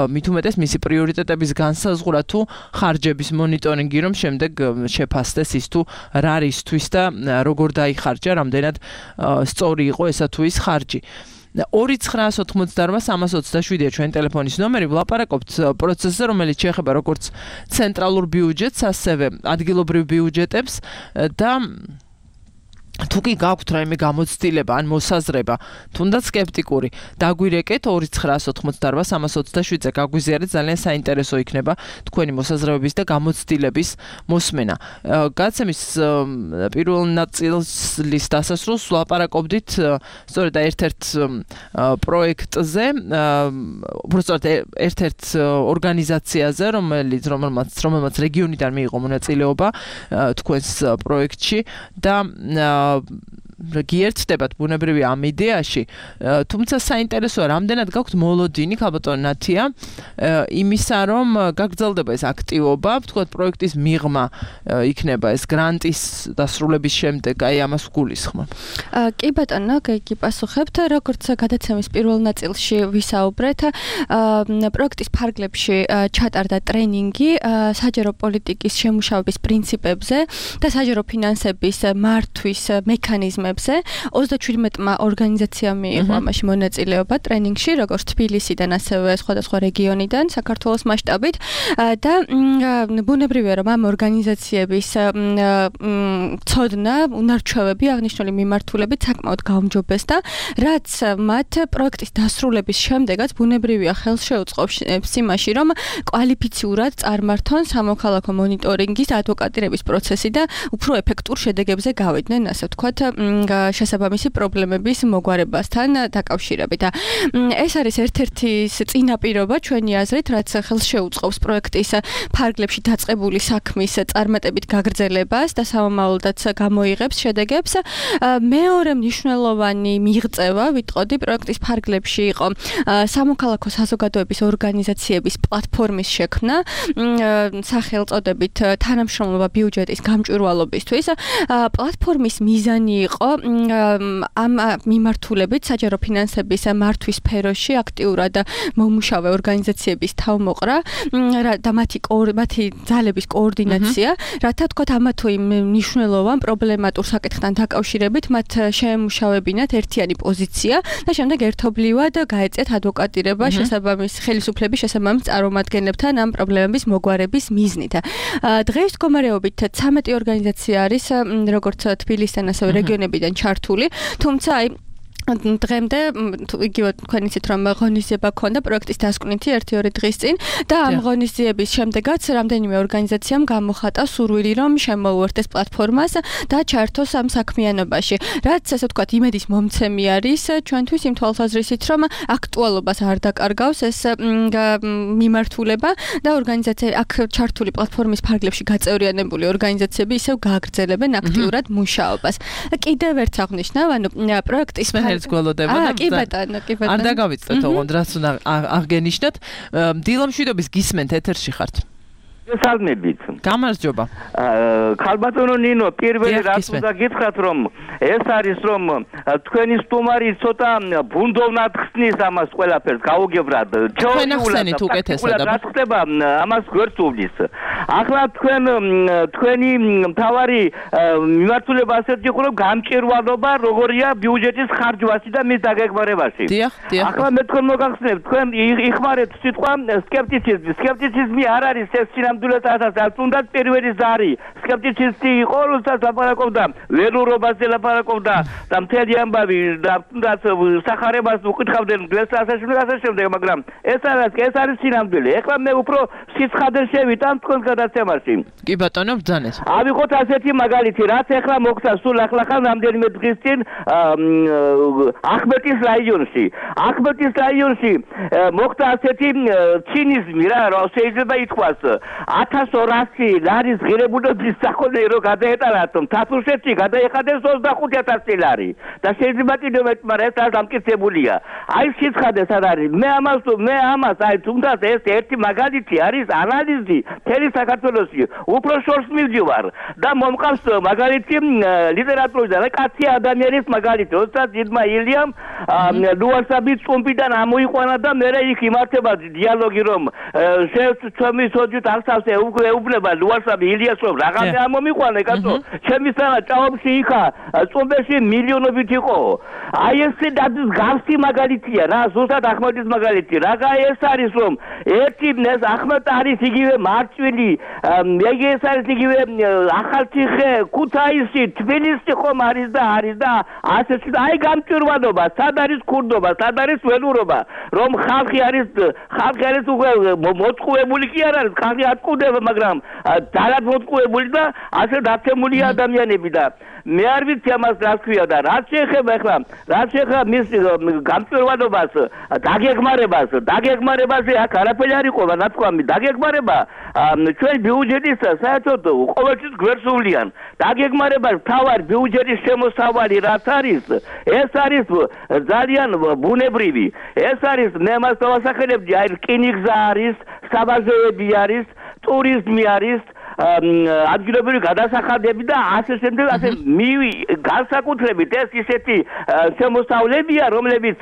S3: მით უმეტეს მისი პრიორიტეტების განსაზღვრა თუ ხარჯების მონიტორინგი, რომ შემდეგ შეფასდეს ის თუ რა რისთვის და როგორ დაიხარჯა, რამდენად სწორი იყო ესა თუ ის ხარჯი. 2988327-ია ჩვენი ტელეფონის ნომერი. ვლაპარაკობთ პროცესზე, რომელიც შეეხება როგორც ცენტრალურ ბიუჯეტს, ასევე ადგილობრივ ბიუჯეტებს და თუ კი გაქვთ რაიმე გამოცდილება ან მოსაზრება, თუნდაც სკეპტიკური, დაგვირეკეთ 2988327-ზე, გაგვიზიარეთ, ძალიან საინტერესო იქნება თქვენი მოსაზრებების და გამოცდილების მოსმენა. გადაცემის პირველ ნაწილის დასასრულს ვლაპარაკობდით სწორედ ერთ-ერთ პროექტზე, უბრალოდ ერთ-ერთ ორგანიზაციაზე, რომელმაც რეგიონიდან მიიღო მონაწილეობა თქვენს პროექტში და გიერთდებათ ბუნებრივია ამ იდეაში, თუმცა საინტერესოა, რამდენად გაქვთ მოლოდინი, ქალბატონო ნათია, იმისა, რომ გაგრძელდება ეს აქტივობა, ვთქვათ, პროექტის მიღმა იქნება ეს გრანტის დასრულების შემდეგ, აი ამას გულისხმობ.
S5: კი ბატონო, გიგიპასუხებთ, როგორც გადაცემის პირველ ნაწილში ვისაუბრეთ, პროექტის ფარგლებში ჩატარდა ტრენინგი საჯარო პოლიტიკის შემუშავების პრინციპებზე და საჯარო ფინანსების მართვის მექანიზმებზე თემებზე. 37-მა ორგანიზაციამ მიიღო ამაში მონაწილეობა ტრენინგში, როგორც თბილისიდან, ასევე სხვადასხვა რეგიონიდან, საქართველოს მასშტაბით და ბუნებრივია, რომ ამ ორგანიზაციების ცოდნა, უნარჩვევები აღნიშნული მიმართულებით საკმაოდ გაუმჯობესდა, რაც მათ პროექტის დასრულების შემდეგაც ბუნებრივია ხელს შეუწყობს იმაში, რომ კვალიფიციურად წარმართონ სამოქალაქო მონიტორინგის ადვოკატირების პროცესი და უფრო ეფექტურ შედეგებზე გავიდნენ, ასე ვთქვათ, შესაბამისი პრობლემების მოგვარებასთან დაკავშირებით. ეს არის ერთ-ერთი წინაპირობა ჩვენი აზრით, რაც ხელს შეუწყობს პროექტის ფარგლებში დაწყებული საქმის წარმატებით გაგრძელებას და სამომავლოდაც გამოიღებს შედეგებს. მეორე მნიშვნელოვანი მიღწევა, ვიტყოდი, პროექტის ფარგლებში იყო სამოქალაქო საზოგადოების ორგანიზაციების პლატფორმის შექმნა, სახელწოდებით თანამშრომლობა ბიუჯეტის გამჭვირვალობისთვის. პლატფორმის მიზანი იყო ამ მიმართულებით საჯარო ფინანსების მართვის სფეროში აქტიურად მომუშავე ორგანიზაციების თავმოყრა და მათი ძალების კოორდინაცია, რათა თქვათ ამა თუ იმ მნიშვნელოვან პრობლემატურ საკითხთან დაკავშირებით მათ შეემუშავებინათ ერთიანი პოზიცია და შემდეგ ერთობლივად გაეწიათ ადვოკატირება შესაბამის ხელისუფლების შესაბამის წარმომადგენლებთან ამ პრობლემების მოგვარების მიზნით. დღეს მდგომარეობით 13 ორგანიზაცია არის, როგორც თბილისიდან, ასევე რეგიონებიდან ჩართული, თუმცა დღემდე იგივე თქვენ იცით რომ ღონისძიება ქონდა პროექტის დასკვნითი 1-2 დღის წინ და ამ ღონისძიების შემდეგაც რამდენიმე ორგანიზაციამ გამოხატა სურვილი რომ შემოუერთდეს პლატფორმას და ჩართოს ამ საქმიანობაში, რაც ასე ვთქვათ იმედის მომცემი არის ჩვენთვის იმ თვალსაზრისით რომ აქტუალობას არ დაკარგავს ეს მიმართულება და ორგანიზაცია აქ ჩართული პლატფორმის ფარგლებში გაწევრიანებული ორგანიზაციები ისევ გააგრძელებენ აქტიურად მუშაობას. კიდევ ერთ აღნიშნავ, ანუ პროექტის
S3: ეს გველოდება და
S5: კი ბატონო.
S3: არ დაგავიწყდეთ ოღონდ რაც უნდა აღგენიშნათ. დილო მშვიდობის გისმენთ ეთერში ხართ.
S8: გესალმებით.
S3: გამარჯობა.
S8: ხალბატონო ნინო, პირველი რაც უნდა გითხრათ რომ ეს არის რომ თქვენი სტუმარი ცოტა ბუნდოვნად ხსნის ამას ყველაფერს გაუგებრად.
S3: ჩვენახსენით უკეთესად.
S8: რა ხდება ამას გვერდსულის. ახლა თქვენი მთავარი მიმართულება ასეთი იყო რომ გამჭირვალობა როგორია ბიუჯეტის ხარჯვაში და მის დაგეგმარებაში.
S3: დიახ.
S8: ახლა მე თქვენ მოგახსენებთ, თქვენ იხმარეთ სიტყვა სკეპტიციზმი. სკეპტიციზმი არ არის ეს სინამდვილესაც თუნდაც პირველი ზარი. სკეპტიციზმი იყო, როდესაც ლაპარაკობდა ველურობაზე ლაპარაკობდა და მთელი ამბავი და თუნდაც სახარებას უკითხავდნენ გლესასაშვილს შემდეგ, მაგრამ ეს არის სინამდვილე. ეხლა მე უფრო სიცხადე შევიტან თქვენს გადაცემაში.
S3: კი ბატონო, ბრძანეთ.
S8: ავიღოთ ასეთი მაგალითი, რაც ეხლა მოხდა სულ ახლახან რამდენიმე დღის წინ ახმეტის რაიონში. ახმეტის რაიონში მოხდა ასეთი ცინიზმი რა, რომ შეიძლება ითქვას 1200 ლარის ღირებულების სახელი რო გადაეტანათ თათუშეთში გადაეხადეს 25000 ლარი და შეიძლება კიდევ მეტ, მაგრამ ეს არ დამტკიცებულია. აი სიცხადე სად არის? მე ამას აი თუნდაც ეს ერთი მაგალითი არის ანალიზი მთელი საქართველოში. უფრო შორს მივდივარ და მომყავს მაგალითი ლიტერატურიდან და კაცი ადამიანის მაგალითი, როდესაც იდმა ილიამ ლუასაბი წუმპიდან ამოიყვანა და მე იქ იმართება დიალოგი რომ ჩემი სოჯით ახსავს ეუბნება ლუასაბი ილიას რომ რაღაცა ამომიყვანა კაცო, ჩემისთანა ჭაობში იქა წუმბეში მილიონობით იყო. აი ეს გავსი მაგალითია რა, ზუსტად ახმეტის მაგალითი. რაღა ეს არის რომ ერთი ეს ახმეტ არის იგივე მარჭვილი, ეს არის იგივე ახალციხე, ქუთაისი, თბილისი ხომ არის და ასეთი აი გამჭვირვალობა, სად არის ქურდობა, სად არის ველურობა, რომ ხალხი არის უკვე მოწყუებული კი არ არის, ხალხი არ ყუდება, მაგრამ ძალად მოწყუებული და ასე დაცემული ადამიანები და მე არ ვიცი ამას რა ქვია და რაც შეეხება მის გამჭვირვალობას, დაგეგმარებაზე აქ არაფერი არ იყო ნათქვამი, დაგეგმარება ჩვენ ბიუჯეტის საერთოდ ყოველთვის გვერდსულიან. დაგეგმარებას თავარი ბიუჯეტის შემოსავალი რაც არის, ეს არის ძალიან ბუნებრივი. ეს არის მე მას დავასახელებდი, აი რკინიგზა არის, საბაზოები არის, ტურიზმი არის, ადგილობრივი გადასახადები და ასე შემდეგ ასე განსაკუთრებით ეს ისეთი შემოსავლებია, რომლებიც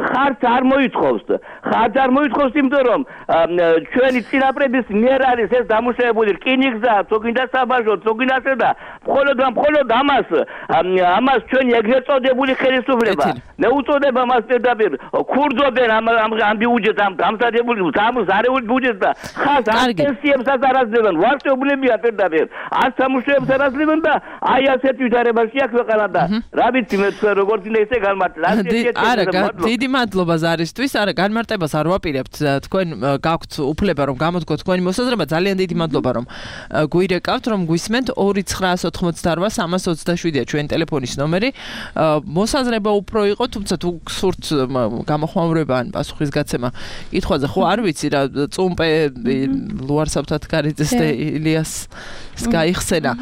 S8: ხარჯს არ მოითხოვს. ხარჯს არ მოითხოვს, იმიტომ რომ ჩვენი წინაპრების მიერ არის ეს დამუშავებული რკინიგზა, წოგინდა საბაჟო, წოგინდასა და მხოლოდ ამას ჩვენი ეგრეთ წოდებული ხელისუფლება მეუწოდება მას პირდაპირ ქურდობენ ამ ბიუჯეტს, ამ დამზადებული ზარეული ბიუჯეტს და ხარჯს არ პენსიებსაც არ აძლევენ, ვარსკვლავებია პირდაპირ არ სამუშაოებს არ აძლევენ და აი ასეთ ვითარებაშია ქვეყანა და რა ვიცი მე თქვენ როგორც είναι ესე განმარტება.
S3: არა, დიდი მადლობა ზარისთვის. არა, განმარტებას არ ვაპირებთ. თქვენ გაქვთ უფლება რომ გამოთქვათ თქვენი მოსაზრება. ძალიან დიდი მადლობა რომ გვირეკავთ, რომ გვისმენთ 2998327-ია ჩვენი ტელეფონის ნომერი. მოსაზრება უფრო იყო, თუმცა თუ გსურთ გამოხმაურება ან პასუხისგაცემა კითხვაზე, ხო არ ვიცი რა წუმპე ლუარსაბთათ კარიძეს და ილიას გაიხსენა.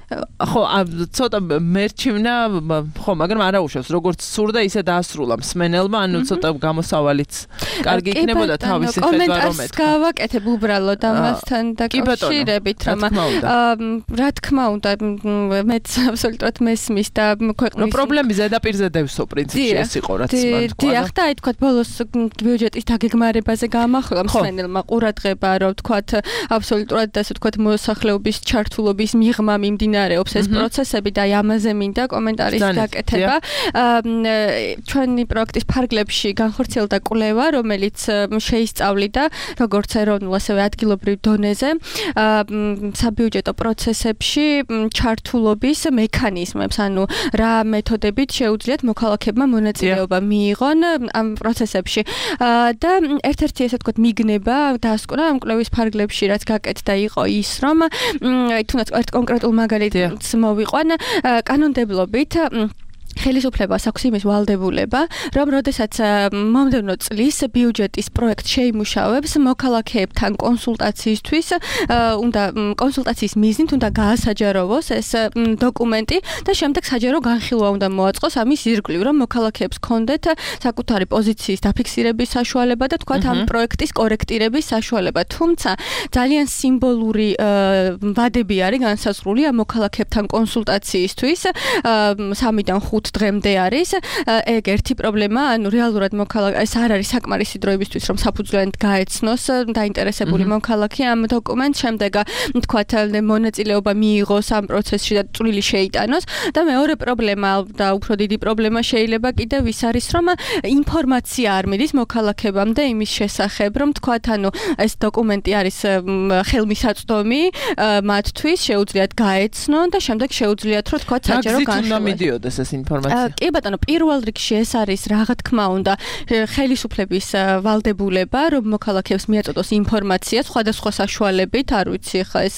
S3: ხო, ცოტა მერჩივნა, ხო, მაგრამ არა უშავს, როგორც სურდა ისე დაასრულა მსმენელმა, ანუ ცოტა გამოსავალიც კარგი იქნებოდა თავისი ხედვა რომ ეთქვა.
S5: კომენტარს გავაკეთებ უბრალოდ ამასთან დაკავშირებით, რომ რა თქმა უნდა, მეც აბსოლუტურად მესმის და ქვეყნის
S3: პრობლემი ზედაპირზე დევსო პრინციპში ეს იყო რაც მან თქვა.
S5: დიახ, და აი თქვა ბოლოს ბიუჯეტის დაგეგმარებაზე გაამახვილა მსმენელმა ყურადღება, რომ თქვა აბსოლუტურად ასე თქვა მოსახლეობის ჩართულობის მიღმა მიმდინარეობს ეს პროცესები და ამაზე მინდა კომენტარის გაკეთება. ჩვენი პროექტის ფარგლებში განხორციელდა კვლევა, რომელიც შეისწავლიდა როგორც ეროვნულ, ასევე ადგილობრივ დონეზე საბიუჯეტო პროცესებში ჩართულობის მექანიზმებს, ანუ რა მეთოდებით შეუძლიათ მოქალაქეებმა მონაწილეობა მიიღონ ამ პროცესებში. და ერთ-ერთი ესე ვთქვათ მიგნება დაასკვნა ამ კვლევის ფარგლებში, რაც გაკეთდა იყო ის, რომ თუნდაც ერთ კონკრეტულ მაგალითს მოვიყვან კანონმდებლობით ხელისუფლებას აქვს იმის ვალდებულება, რომ როდესაც მომდევნო წლის ბიუჯეტის პროექტ შეიმუშავებს მოქალაქეებთან კონსულტაციისთვის, უნდა კონსულტაციის მიზნით უნდა გაასაჯაროვოს ეს დოკუმენტი და შემდეგ საჯარო განხილვა უნდა მოაწყოს ამის ირგვლივ, რომ მოქალაქეებს ჰქონდეთ საკუთარი პოზიციის დაფიქსირების საშუალება და თქვათ ამ პროექტის კორექტირების საშუალება. თუმცა ძალიან სიმბოლური ვადები არის განსაზღვრული ამ მოქალაქეებთან კონსულტაციისთვის 3-დან 5 დღემდე არის. ეგ ერთი პრობლემა, ანუ რეალურად ეს არ არის საკმარისი დროებისთვის, რომ საფუძვლიანად გაეცნოს დაინტერესებული მოქალაქე ამ დოკუმენტს, შემდეგ თქვათ მონაწილეობა მიიღოს ამ პროცესში და წვლილი შეიტანოს. და მეორე პრობლემა და უფრო დიდი პრობლემა შეიძლება კიდევ ის არის, რომ ინფორმაცია არ მიდის მოქალაქეებამდე იმის შესახებ, რომ თქვათ, ანუ ეს დოკუმენტი არის ხელმისაწვდომი მათთვის, შეუძლიათ გაეცნონ და შემდეგ შეუძლიათ რომ თქვათ საჯარო განხილვა
S3: მიდიოდეს ეს ინფორმაცია.
S5: კი ბატონო, პირველ რიგში ეს არის რა თქმა უნდა ხელისუფლების ვალდებულება, რომ მოქალაქეებს მიაწოდოს ინფორმაცია სხვადასხვა საშუალებით, არ ვიცი ხა ეს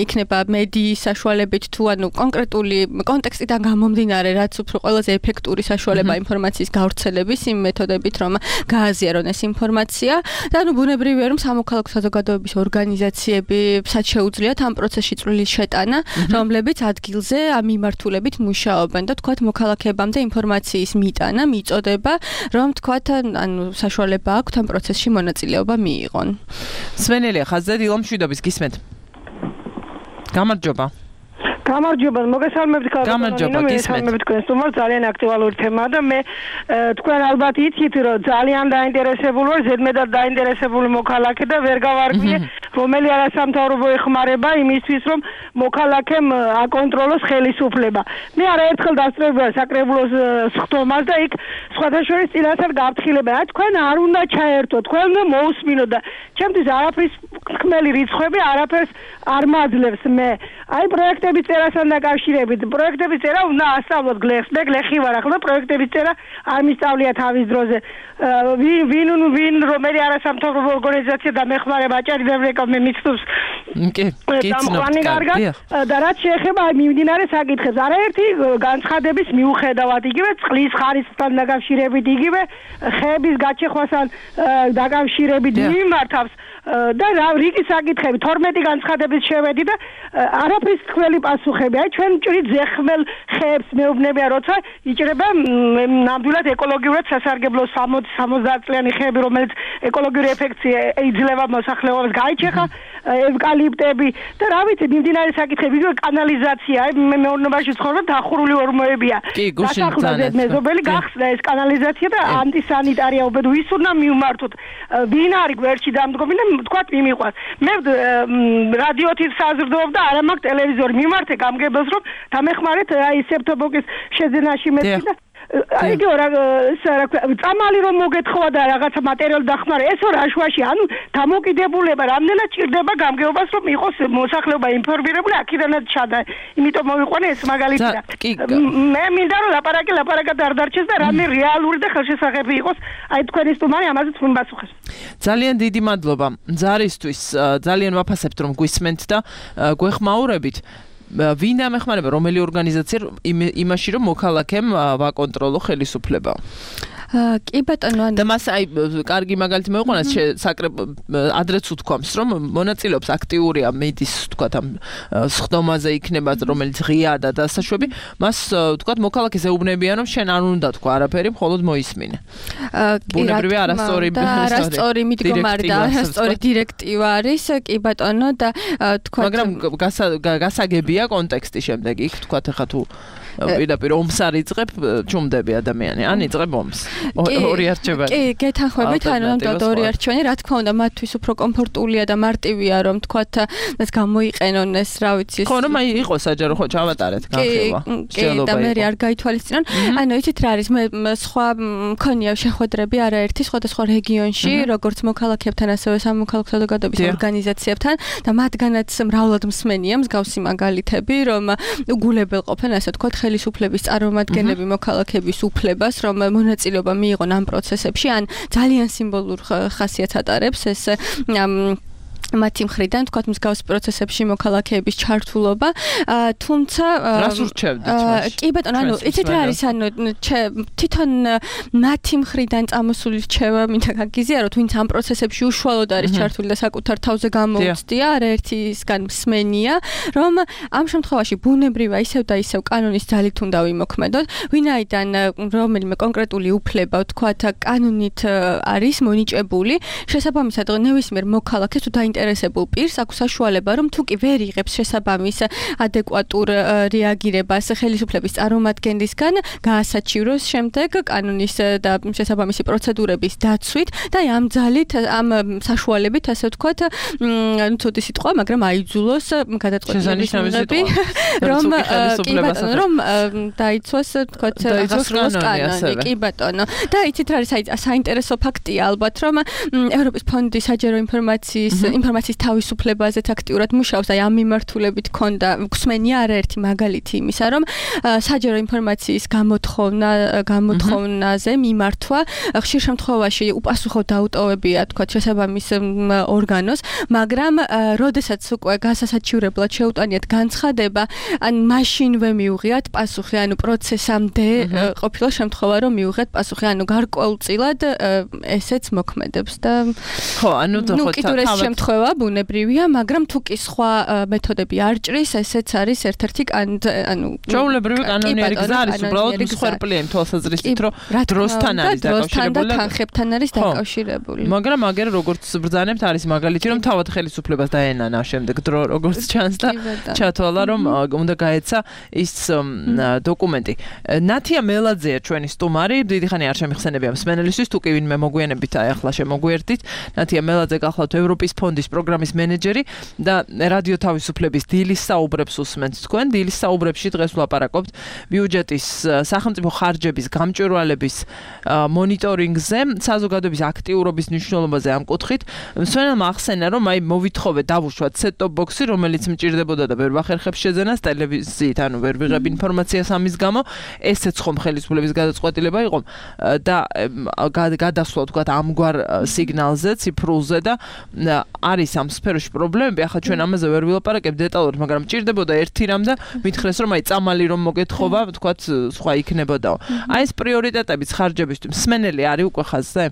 S5: იქნება მედიის საშუალებით თუ ანუ კონკრეტული კონტექსტიდან გამომდინარე, რაც უფრო ყველაზე ეფექტური საშუალება ინფორმაციის გავრცელების იმ მეთოდებით, რომ გააზიარონ ეს ინფორმაცია და ანუ ბუნებრივია, რომ სამოქალაქო საზოგადოების ორგანიზაციები შეუძლიათ ამ პროცესში წვლილის შეტანა, რომლებიც ადგილზე ამ მიმართულებით მუშაობენ და თქვათ მოქალაქეებამდე ინფორმაციის მიტანა, მიწოდება, რომ თქვათ, ანუ საშუალება აქვთ ამ პროცესში მონაწილეობა მიიღონ.
S3: სვენელია, ხაზზე დილომშვიდობის გისმენთ. გამარჯობა.
S9: გამარჯობა, მოგესალმებით
S3: გამარჯობა,
S9: გესალმებით თქვენს თუმცა ძალიან აქტუალური თემაა და მე თქვენ ალბათ იცით, რომ ძალიან დაინტერესებული ვარ, ზედმეტად დაინტერესებული მოქალაქე და ვერ გავარკვიე, რომელი არასამთავრობო ეხმარება იმისთვის, რომ მოქალაქემ აკონტროლოს ხელისუფლება. მე არაერთხელ დასწრებია საკრებულოს სხდომას და იქ სხვათა შორის წინასწარ გაფრთხილება. აი თქვენ არ უნდა ჩაერთო, თქვენ უნდა მოусმინოთ და ჩემთვის არაფრის ხმელი რიცხვები არაფერს არ მაძლევს მე. აი პროექტების წერასთან დაკავშირებით, პროექტების წერა უნდა ასწავლოთ გლეხს, მე გლეხი ვარ ახლა, პროექტების წერა არ მისწავლია თავის დროზე. ვინ რომელი არასამთავრობო ორგანიზაცია დამეხმარება აჭარბებრეკა მე მიცნობს.
S3: კი,
S9: და რაც შეეხება მიმდინარე საკითხებს, არაერთი განცხადების მიუხედავად, იგივე წყლის ხარისხთან დაკავშირებით, იგივე ხეების გაჩეხვასთან დაკავშირებით მიმართავს და რიგი საკითხები 12 განცხადების შევედი და არაფრის თქველი პასუხები. აი ჩვენ მჭრით ზეხმელ ხეებს მეუბნებია, როცა იჭრება ნამდვილად ეკოლოგიურად სასარგებლო 60 წლიანი ხეები, რომელიც ეკოლოგიური ეფექტი იძლევა მოსახლეობას, გაიჩეხა ხა ევკალიპტები და რა ვიცი მიმდინარე საკითხები იგივე კანალიზაცია მეურნეობაში ცხოვრობ დახურული ორმოებია დასახლდა მეზობელი გახსნა ეს კანალიზაცია და ანტისანიტარია უბედო ის უნდა მივმართოთ ვინ არის გვერდში დამდგომი და თქვათ მიმიყვას მე რადიოთი საზრდოობ და არა მაქვს ტელევიზორი მიმართე გამგებელს რომ დამეხმარეთ აი სეპტემბრის შეძენაში მეტი და აიგო რა წამალი რომ მოგეთხოვა და რაღაცა მატერიალი დახმარა ესო რაშვაში ანუ დამოკიდებულება რამდენად ჭირდება გამგეობას რომ იყოს მოსახლეობა ინფორმირებული აქედანაც ჩადა იმიტომ მოვიყვანე ეს მაგალითი და მე მინდა რომ ლაპარაკად არ დარჩეს და რამე რეალური და ხელშესახები იყოს აი თქვენი სტუმარი ამაზე თქვენ პასუხეს
S3: ძალიან დიდი მადლობა ზარისთვის ძალიან ვაფასებთ რომ გვისმენთ და გვეხმაურებით ვინ დამეხმარება რომელი ორგანიზაცია იმაში რომ მოქალაქემ ვაკონტროლო ხელისუფლება
S5: კი ბატონო
S3: და მას აი კარგი მაგალითი მოვიყვანოთ ადრეც უთქვამს რომ მონაწილეობს აქტიურია მედის თქვათ ამ სხდომაზე იქნება რომელიც ღიაა და დასაშვები მას თქვათ მოქალაქეს ეუბნებიან რომ შენ არ უნდა თქვა არაფერი მხოლოდ მოისმინე ბუნებრივია
S5: არასწორი მიდგომარი და არასწორი დირექტივა არის კი ბატონო და თქვათ
S3: მაგრამ გასაგებია კონტექსტი შემდეგ იქ თქვათ ახლა თუ პირდაპირ ომს არ იწყებ ჩუმდები ადამიანი ან იწყებ ომს ორი არჩევანი
S5: კი გეთანხმებით ანუ ნამდვილად ორი არჩევანი რა თქმა უნდა მათთვის უფრო კომფორტულია და მარტივია რომ თქვათ ეს გამოიყენონ ეს რა ვიცი
S3: ხო რომ აი იყო საჯარო ხო ჩავატარეთ განხილვა
S5: კი და მე არ გაითვალისწინონ ანუ იცით რა არის მე სხვა მქონია შეხვედრები არაერთი სხვადასხვა რეგიონში როგორც მოქალაქეებთან ასევე სამოქალაქო საზოგადოების ორგანიზაციებთან და მათგანაც მრავლად მსმენია მსგავსი მაგალითები რომ უგულებელყოფენ ასე თქვათ ხელისუფლების წარმომადგენლები მოქალაქეების უფლებას რომ მონაწილეობა მიიღონ ამ პროცესებში ან ძალიან სიმბოლურ ხასიათს ატარებს ეს მათი მხრიდან თქვათ მსგავს პროცესებში მოქალაქეების ჩართულობა თუმცა
S3: რას ურჩევდით
S5: კი ბატონო ანუ იცით რა არის ანუ თვითონ მათი მხრიდან წამოსული რჩევა მინდა გაგიზიაროთ ვინც ამ პროცესებში უშუალოდ არის ჩართული და საკუთარ თავზე გამოუცდია არაერთისგან მსმენია რომ ამ შემთხვევაში ბუნებრივია ისევ და ისევ კანონის ძალით უნდა ვიმოქმედოთ ვინაიდან რომელიმე კონკრეტული უფლება თქვათ კანონით არის მონიჭებული შესაბამისად ნებისმიერ მოქალაქეს თუ ინტერესებულ პირს აქვს საშუალება რომ თუ კი ვერ იღებს შესაბამის ადეკვატურ რეაგირებას ხელისუფლების წარმომადგენლისგან გაასაჩივროს შემდეგ კანონის და შესაბამისი პროცედურების დაცვით და ამ ძალით ამ საშუალებით ასე ვთქვათ ну ცუდი სიტყვა მაგრამ აიძულოს გადაწყვეტილების მიღები რომ კი ბატონო რომ დაიცვას ვთქვათ აღსრულოს კანონი კი ბატონო და იცით რა არის საინტერესო ფაქტია ალბათ რომ ევროპის ფონდი საჯარო ინფორმაციის თავისუფლებაზეც აქტიურად მუშაობს აი ამ მიმართულებით ქონდა გვსმენია არაერთი მაგალითი იმისა რომ საჯარო ინფორმაციის გამოთხოვნაზე მიმართვა ხშირ შემთხვევაში უპასუხო დაუტოვებია თქვა შესაბამის ორგანოს მაგრამ როდესაც უკვე გასასაჩივრებლად შეუტანიათ განცხადება ან მაშინვე მიუღიათ პასუხი ანუ პროცესამდე ყოფილა შემთხვევა რომ მიუღიათ პასუხი ანუ გარკვეულწილად ესეც მოქმედებს და
S3: ხო ანუ
S5: შემთხვევა ბუნებრივია, მაგრამ თუ კი სხვა მეთოდები არ ჭრის, ესეც არის ერთ-ერთი ანუ
S3: ჩვეულებრივი კანონიერი გზა არის უბრალოდ მსხვერპლია იმ თვალსაზრისით, რომ დროსთან არის დაკავშირებული
S5: და თანხებთან არის დაკავშირებული.
S3: მაგრამ აგერ როგორც ბრძანებთ არის მაგალითი, რომ თავად ხელისუფლებას დაენანა შემდეგ დრო როგორც ჩანს და ჩათვალა რომ უნდა გაეცა ის დოკუმენტი. ნათია მელაძეა ჩვენი სტუმარი, დიდი ხანი არ შემიხსენებია მსმენელისთვის, თუ კი ვინმე მოგვიანებით აი ახლა შემოგვიერთით. ნათია მელაძე გახლავთ ევროპის ფონდის პროგრამის მენეჯერი და რადიო თავისუფლების დილის საუბრებს უსმენთ თქვენ. დილის საუბრებში დღეს ვლაპარაკობთ ბიუჯეტის სახელმწიფო ხარჯების გამჭვირვალების მონიტორინგზე, საზოგადოების აქტიურობის მნიშვნელობაზე ამ კუთხით. მსმენელმა ახსენა, რომ აი მოვითხოვე დავუშვათ set-top box-ი, რომელიც მჭირდებოდა და ვერ ვახერხებს შეძენას ტელევიზიით, ანუ ვერ ვიღებ ინფორმაციას ამის გამო. ესეც ხომ ხელისუფლების გადაწყვეტილება იყო და გადასვლა თქვათ ამგვარ სიგნალზე, ციფრულზე და არის ამ სფეროში პრობლემები. ახლა ჩვენ ამაზე ვერ ვილაპარაკებთ დეტალურად, მაგრამ მჭირდებოდა ერთი რამ და მითხრეს რომ აი წამალი რომ მოგეთხოვა, თქვათ სხვა იქნებოდაო. აი ეს პრიორიტეტების ხარჯებისთვის მსმენელი არის უკვე ხაზზე.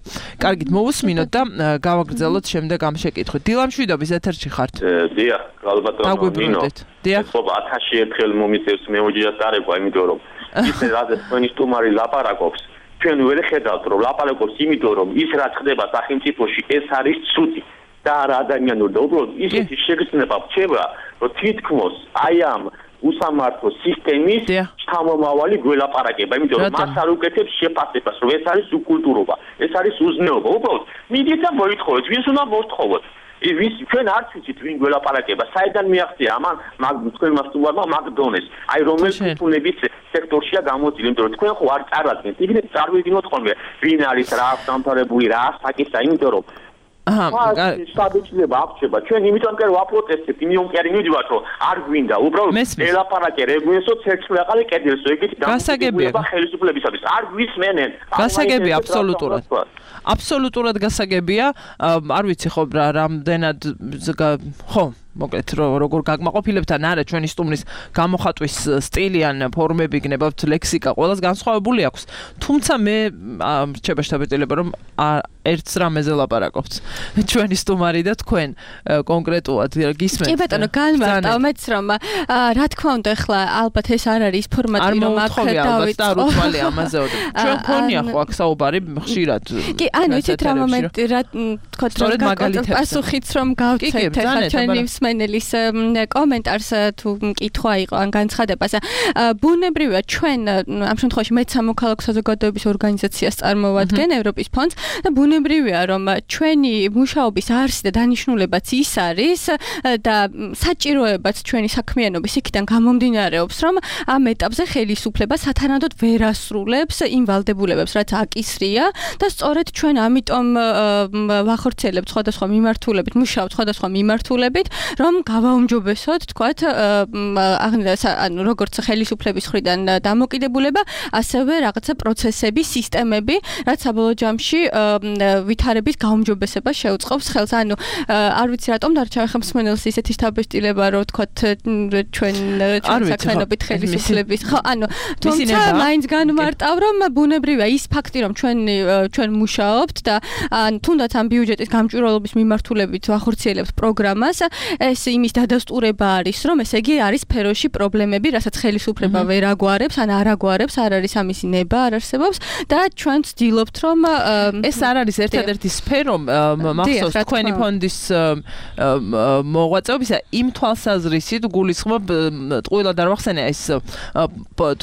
S3: კარგით, მოვუსმინოთ და გავაგრძელოთ შემდეგ ამ შეკითხვით. დილამშვიდობის ეთერში ხართ?
S6: დიახ, ალბათო ნინო.
S3: დიახ.
S6: ხო, 1000 ერთხელ მომიწევს მეუჯიას დარეკვა, იმიტომ რომ ისე რადგან თქვენი სტუმარი ლაპარაკობს, ჩვენ ვერ ხედავთ რომ ლაპარაკობს, იმიტომ რომ ის რაც ხდება სახელმწიფოში, ეს არის ცუდი. და არა ადამიანური და უბრალოდ ისეთი შეგრძნება რჩება, რომ თითქმის აი ამ უსამართლო სისტემის შთამომავალი გველაპარაკება, იმიტომ რომ მას არ უკეთებს შეფასებას, რომ ეს არის უკულტურობა, ეს არის უზნეობა. უბრალოდ მიდით და მოითხოვეთ, ვინც უნდა მოსთხოვოთ. ჩვენ არც ვიცით ვინ გველაპარაკება, საიდან მიაღწია ამან თქვენმა სტუმარმა მაგდონეს. აი რომელი კულტურების სექტორშია გამოწილი, იმიტომ რომ თქვენ ხო არ წარადგენთ, იქნებ წარმოვიდგინოთ ხოლმე ვინ არის, რა აქვს დამთავრებული, რა საკითხია, იმიტომ რომ შტაბიჭლება აღწება. ჩვენ იმიტომ კი ვაპროტესტებთ, იმიტომ კი არ მივიდივართ, რომ არ გვინდა უბრალოდ ელაპარაკე რეგულესო ცერცვლაყალი კედელსო, ეგეთი დამოკიდებულება ხელისუფლებისათვის. არ გვისმენენ.
S3: გასაგებია აბსოლუტურად. აბსოლუტურად გასაგებია. არ ვიცი ხო რამდენად ხო მოკლედ როგორ გაგმაყოფილებთ ან არა ჩვენი სტუმრის გამოხატვის სტილი ან ფორმები გნებავთ ლექსიკა ყველას განსხვავებული აქვს. თუმცა მე რჩება შთაბეჭდილება რომ ერთს რამეზე ლაპარაკობთ. ჩვენი სტუმარი და თქვენ კონკრეტულად გისმენთ.
S5: კი ბატონო, განმარტავ მეც რომ რა თქმა უნდა ახლა ალბათ ეს არ არის ფორმატი რომ აქ
S3: დავიწყო. არ უცვალე ამაზეოდ. ჩვენ ქონია ხო აქ საუბარი ხშირად.
S5: კი, ანუ იცით რა მომენტი რა თქოთ რომ პასუხიც რომ გავცეთ ახლა ჩვენი მსმენელის კომენტარს თუ მკითხვა იყო ან განცხადებას. ბუნებრივია ჩვენ ამ შემთხვევაში მეც სამოქალაქო საზოგადოების ორგანიზაციას წარმოვადგენ ევროპის ფონდს და ბუნებრივია რომ ჩვენი მუშაობის არსი და დანიშნულებაც ის არის და საჭიროებაც ჩვენი საქმიანობის იქიდან გამომდინარეობს რომ ამ ეტაპზე ხელისუფლება სათანადოდ ვერ ასრულებს იმ ვალდებულებებს რაც აკისრია და სწორედ ჩვენ ამიტომ ვახორციელებთ სხვადასხვა მიმართულებით, მუშაობთ სხვადასხვა მიმართულებით, რომ გავაუმჯობესოთ, თქვათ, ანუ როგორც ხელისუფლების მხრიდან დამოკიდებულება, ასევე რაღაცა პროცესები, სისტემები, რაც საბოლოო ჯამში ვითარების გაუმჯობესებას შეუწყობს ხელს. ანუ არ ვიცი რატომ დარჩა ხა მსმენელს ისეთი შთაბეჭდილება, რომ თქვათ ჩვენ საქმიანობით ხელისუფლების. ხო, ანუ თუმცა მაინც განმარტავ, რომ ბუნებრივია ის ფაქტი, რომ ჩვენ მუშაობთ და თუნდაც ამ ბიუჯეტის გამჭვირვალობის მიმართულებით ვახორციელებთ პროგრამას, ეს იმის დადასტურება არის, რომ ესე იგი არის სფეროში პრობლემები, რასაც ხელისუფლება ვერ აგვარებს, ან არ აგვარებს, არ არის ამისი ნება, არ არსებობს და ჩვენ ვცდილობთ, რომ
S3: ეს არ არის ერთადერთი სფერო მახსოვს თქვენი ფონდის მოღვაწეობისა იმ თვალსაზრისით გულისხმობ ტყუილად არ ვახსენე ეს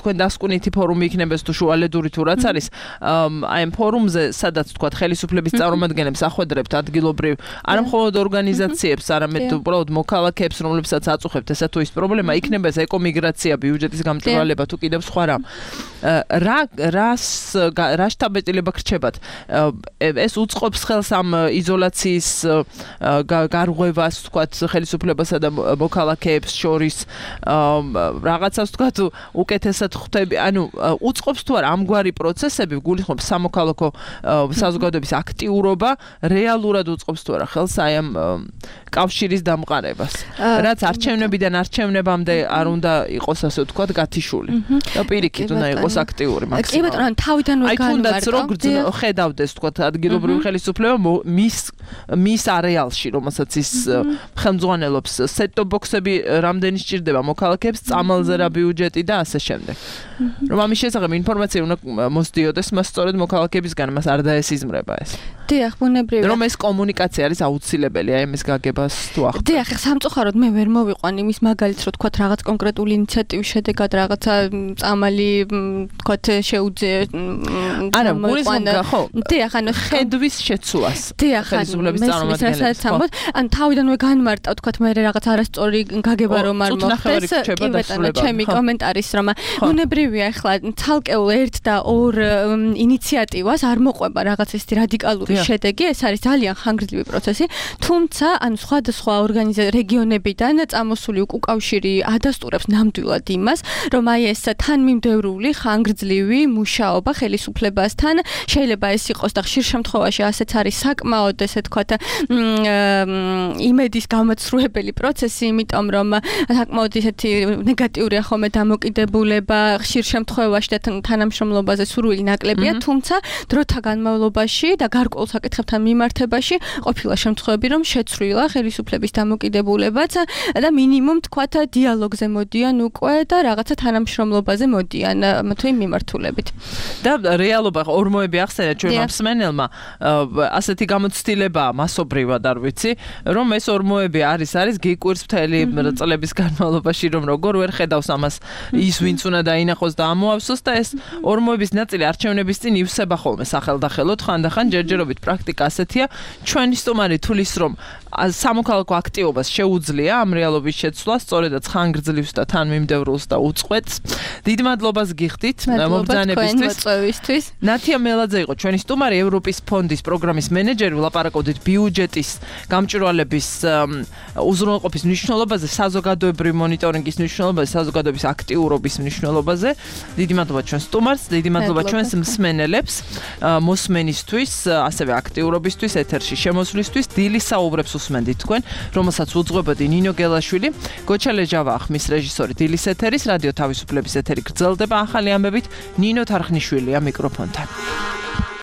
S3: თქვენ დასკვნითი ფორუმი იქნებეს თუ შუალედური თუ რაც არის აი ამ ფორუმზე სადაც თქვა ხელისუფლების წარმომადგენლებს ახვედრებთ ადგილობრივ არა მხოლოდ ორგანიზაციებს არამედ უბრალოდ მოქალაქეებს რომლებსაც აწუხებთ ესა თუ ის პრობლემა იქნება ეს ეკომიგრაცია ბიუჯეტის გამჭვირვალება თუ კიდევ სხვა რა შთაბეჭდილება გრჩებათ ეს უწყობს ხელს ამ იზოლაციის გარღვევას თქვათ ხელისუფლებასა და მოქალაქეებს შორის რაღაცას თქვათ უკეთესად ხვდები ანუ უწყობს თუ არა ამგვარი პროცესები გულისხმობს სამოქალაქო საზოგადოების აქტიურობა რეალურად უწყობს თუ არა ხელს აი ამ კავშირის დამყარებას რაც არჩევნებიდან არჩევნებამდე არ უნდა იყოს ასე ვთქვათ გათიშული და პირიქით უნდა იყოს აქტიური მაქსიმალურად
S5: კი ბატონო თავიდანვე
S3: განმარტო აი თუნდაც რო ხედავდეს ვთქვათ ადგილობრივი ხელისუფლება მის არეალში რომელსაც ის ხელმძღვანელობს სეტ-ტოპ ბოქსები რამდენი სჭირდება მოქალაქეებს წამალზე რა ბიუჯეტი და ასე შემდეგ რომ ამის შესახებ ინფორმაცია უნდა მოსდიოდეს მას სწორედ მოქალაქეებისგან მას არ დაესიზმრება ეს
S5: დიახ ბუნებრივია
S3: რომ ეს კომუნიკაცია არის აუცილებელი აი ამის გაგებას თუ ახლა
S5: დიახ სამწუხაროდ მე ვერ მოვიყვან იმის მაგალითს რომ თქვათ რაღაც კონკრეტული ინიციატივის შედეგად რაღაცა წამალი თქვათ შეუძე
S3: არა გულისხმობ ხო
S5: დიახ ანუ
S3: ხედვის შეცვლას
S5: დიახ ხელისუფლების წარმომადგენლებს ან თავიდანვე განმარტავ თქვათ მე რაღაც არასწორი გაგება რომ არ მოხდეს კი ბატონო ჩემი კომენტარის რომ ბუნებრივია ახლა ცალკეულ ერთ და ორ ინიციატივას არ მოყვება რაღაც ესეთი რადიკალური შედეგი ეს არის ძალიან ხანგრძლივი პროცესი თუმცა ან სხვადასხვა რეგიონებიდან წამოსული უკავშირი ადასტურებს ნამდვილად იმას რომ აი ეს თანმიმდევრული ხანგრძლივი მუშაობა ხელისუფლებასთან შეიძლება ეს იყოს და ხშირ შემთხვევაში ასეც არის საკმაოდ ესე თქვათ იმედის გამოცრუებელი პროცესი იმიტომ რომ საკმაოდ ისეთი ნეგატიურია ხოლმე დამოკიდებულება ხშირ შემთხვევაში და თანამშრომლობაზე სურვილი ნაკლებია თუმცა დროთა განმავლობაში და გარკვეულ საკითხებთან მიმართებაში ყოფილა შემთხვევები, რომ შეცვლილა ხელისუფლების დამოკიდებულებაც და მინიმუმ თქვათ დიალოგზე მოდიან უკვე და რაღაცა თანამშრომლობაზე მოდიან თუ იმ მიმართულებით.
S3: და რეალობა ორმოები ახსენეთ ჩვენმა მსმენელმა, ასეთი გამოცდილებაა მასობრივად არ ვიცი, რომ ეს ორმოები არის გიკვირს მთელი წლების განმავლობაში, რომ როგორ ვერ ხედავს ამას ის ვინც უნდა დაინახოს და ამოავსოს და ეს ორმოების ნაწილი არჩევნების წინ ივსება ხოლმე სახელდახელოდ, ხანდახან ჯერჯერობით პრაქტიკა ასეთია. ჩვენი სტუმარი თulis რომ სამოქალაქო აქტივობას შეუძლია ამ რეალობის შეცვლა, სწორედაც ხანგრძლივს და თანმიმდევრულს და უწყვეტს. დიდ მადლობას გიხდით მობრძანებისთვის. ნათია მელაძე იყო ჩვენი სტუმარი, ევროპის ფონდის პროგრამის მენეჯერი, ვლაპარაკობდით ბიუჯეტის გამჭვირვალების უზრუნველყოფის მნიშვნელობაზე, საზოგადოებრივი მონიტორინგის მნიშვნელობაზე, საზოგადოების აქტიურობის მნიშვნელობაზე. დიდი მადლობა ჩვენს სტუმარს, დიდი მადლობა ჩვენს მსმენელებს, მოსმენისთვის, ასევე აქტიურობისთვის, ეთერში შემოსვლისთვის. დილის საუბრებს უსმენდით თქვენ, რომელსაც უძღვებოდი ნინო გელაშვილი, გოჩა ლეჟავა ხმის რეჟისორი დილის ეთერის, რადიო თავისუფლების ეთერი გრძელდება ახალი ამბებით, ნინო თარხნიშვილია მიკროფონთან.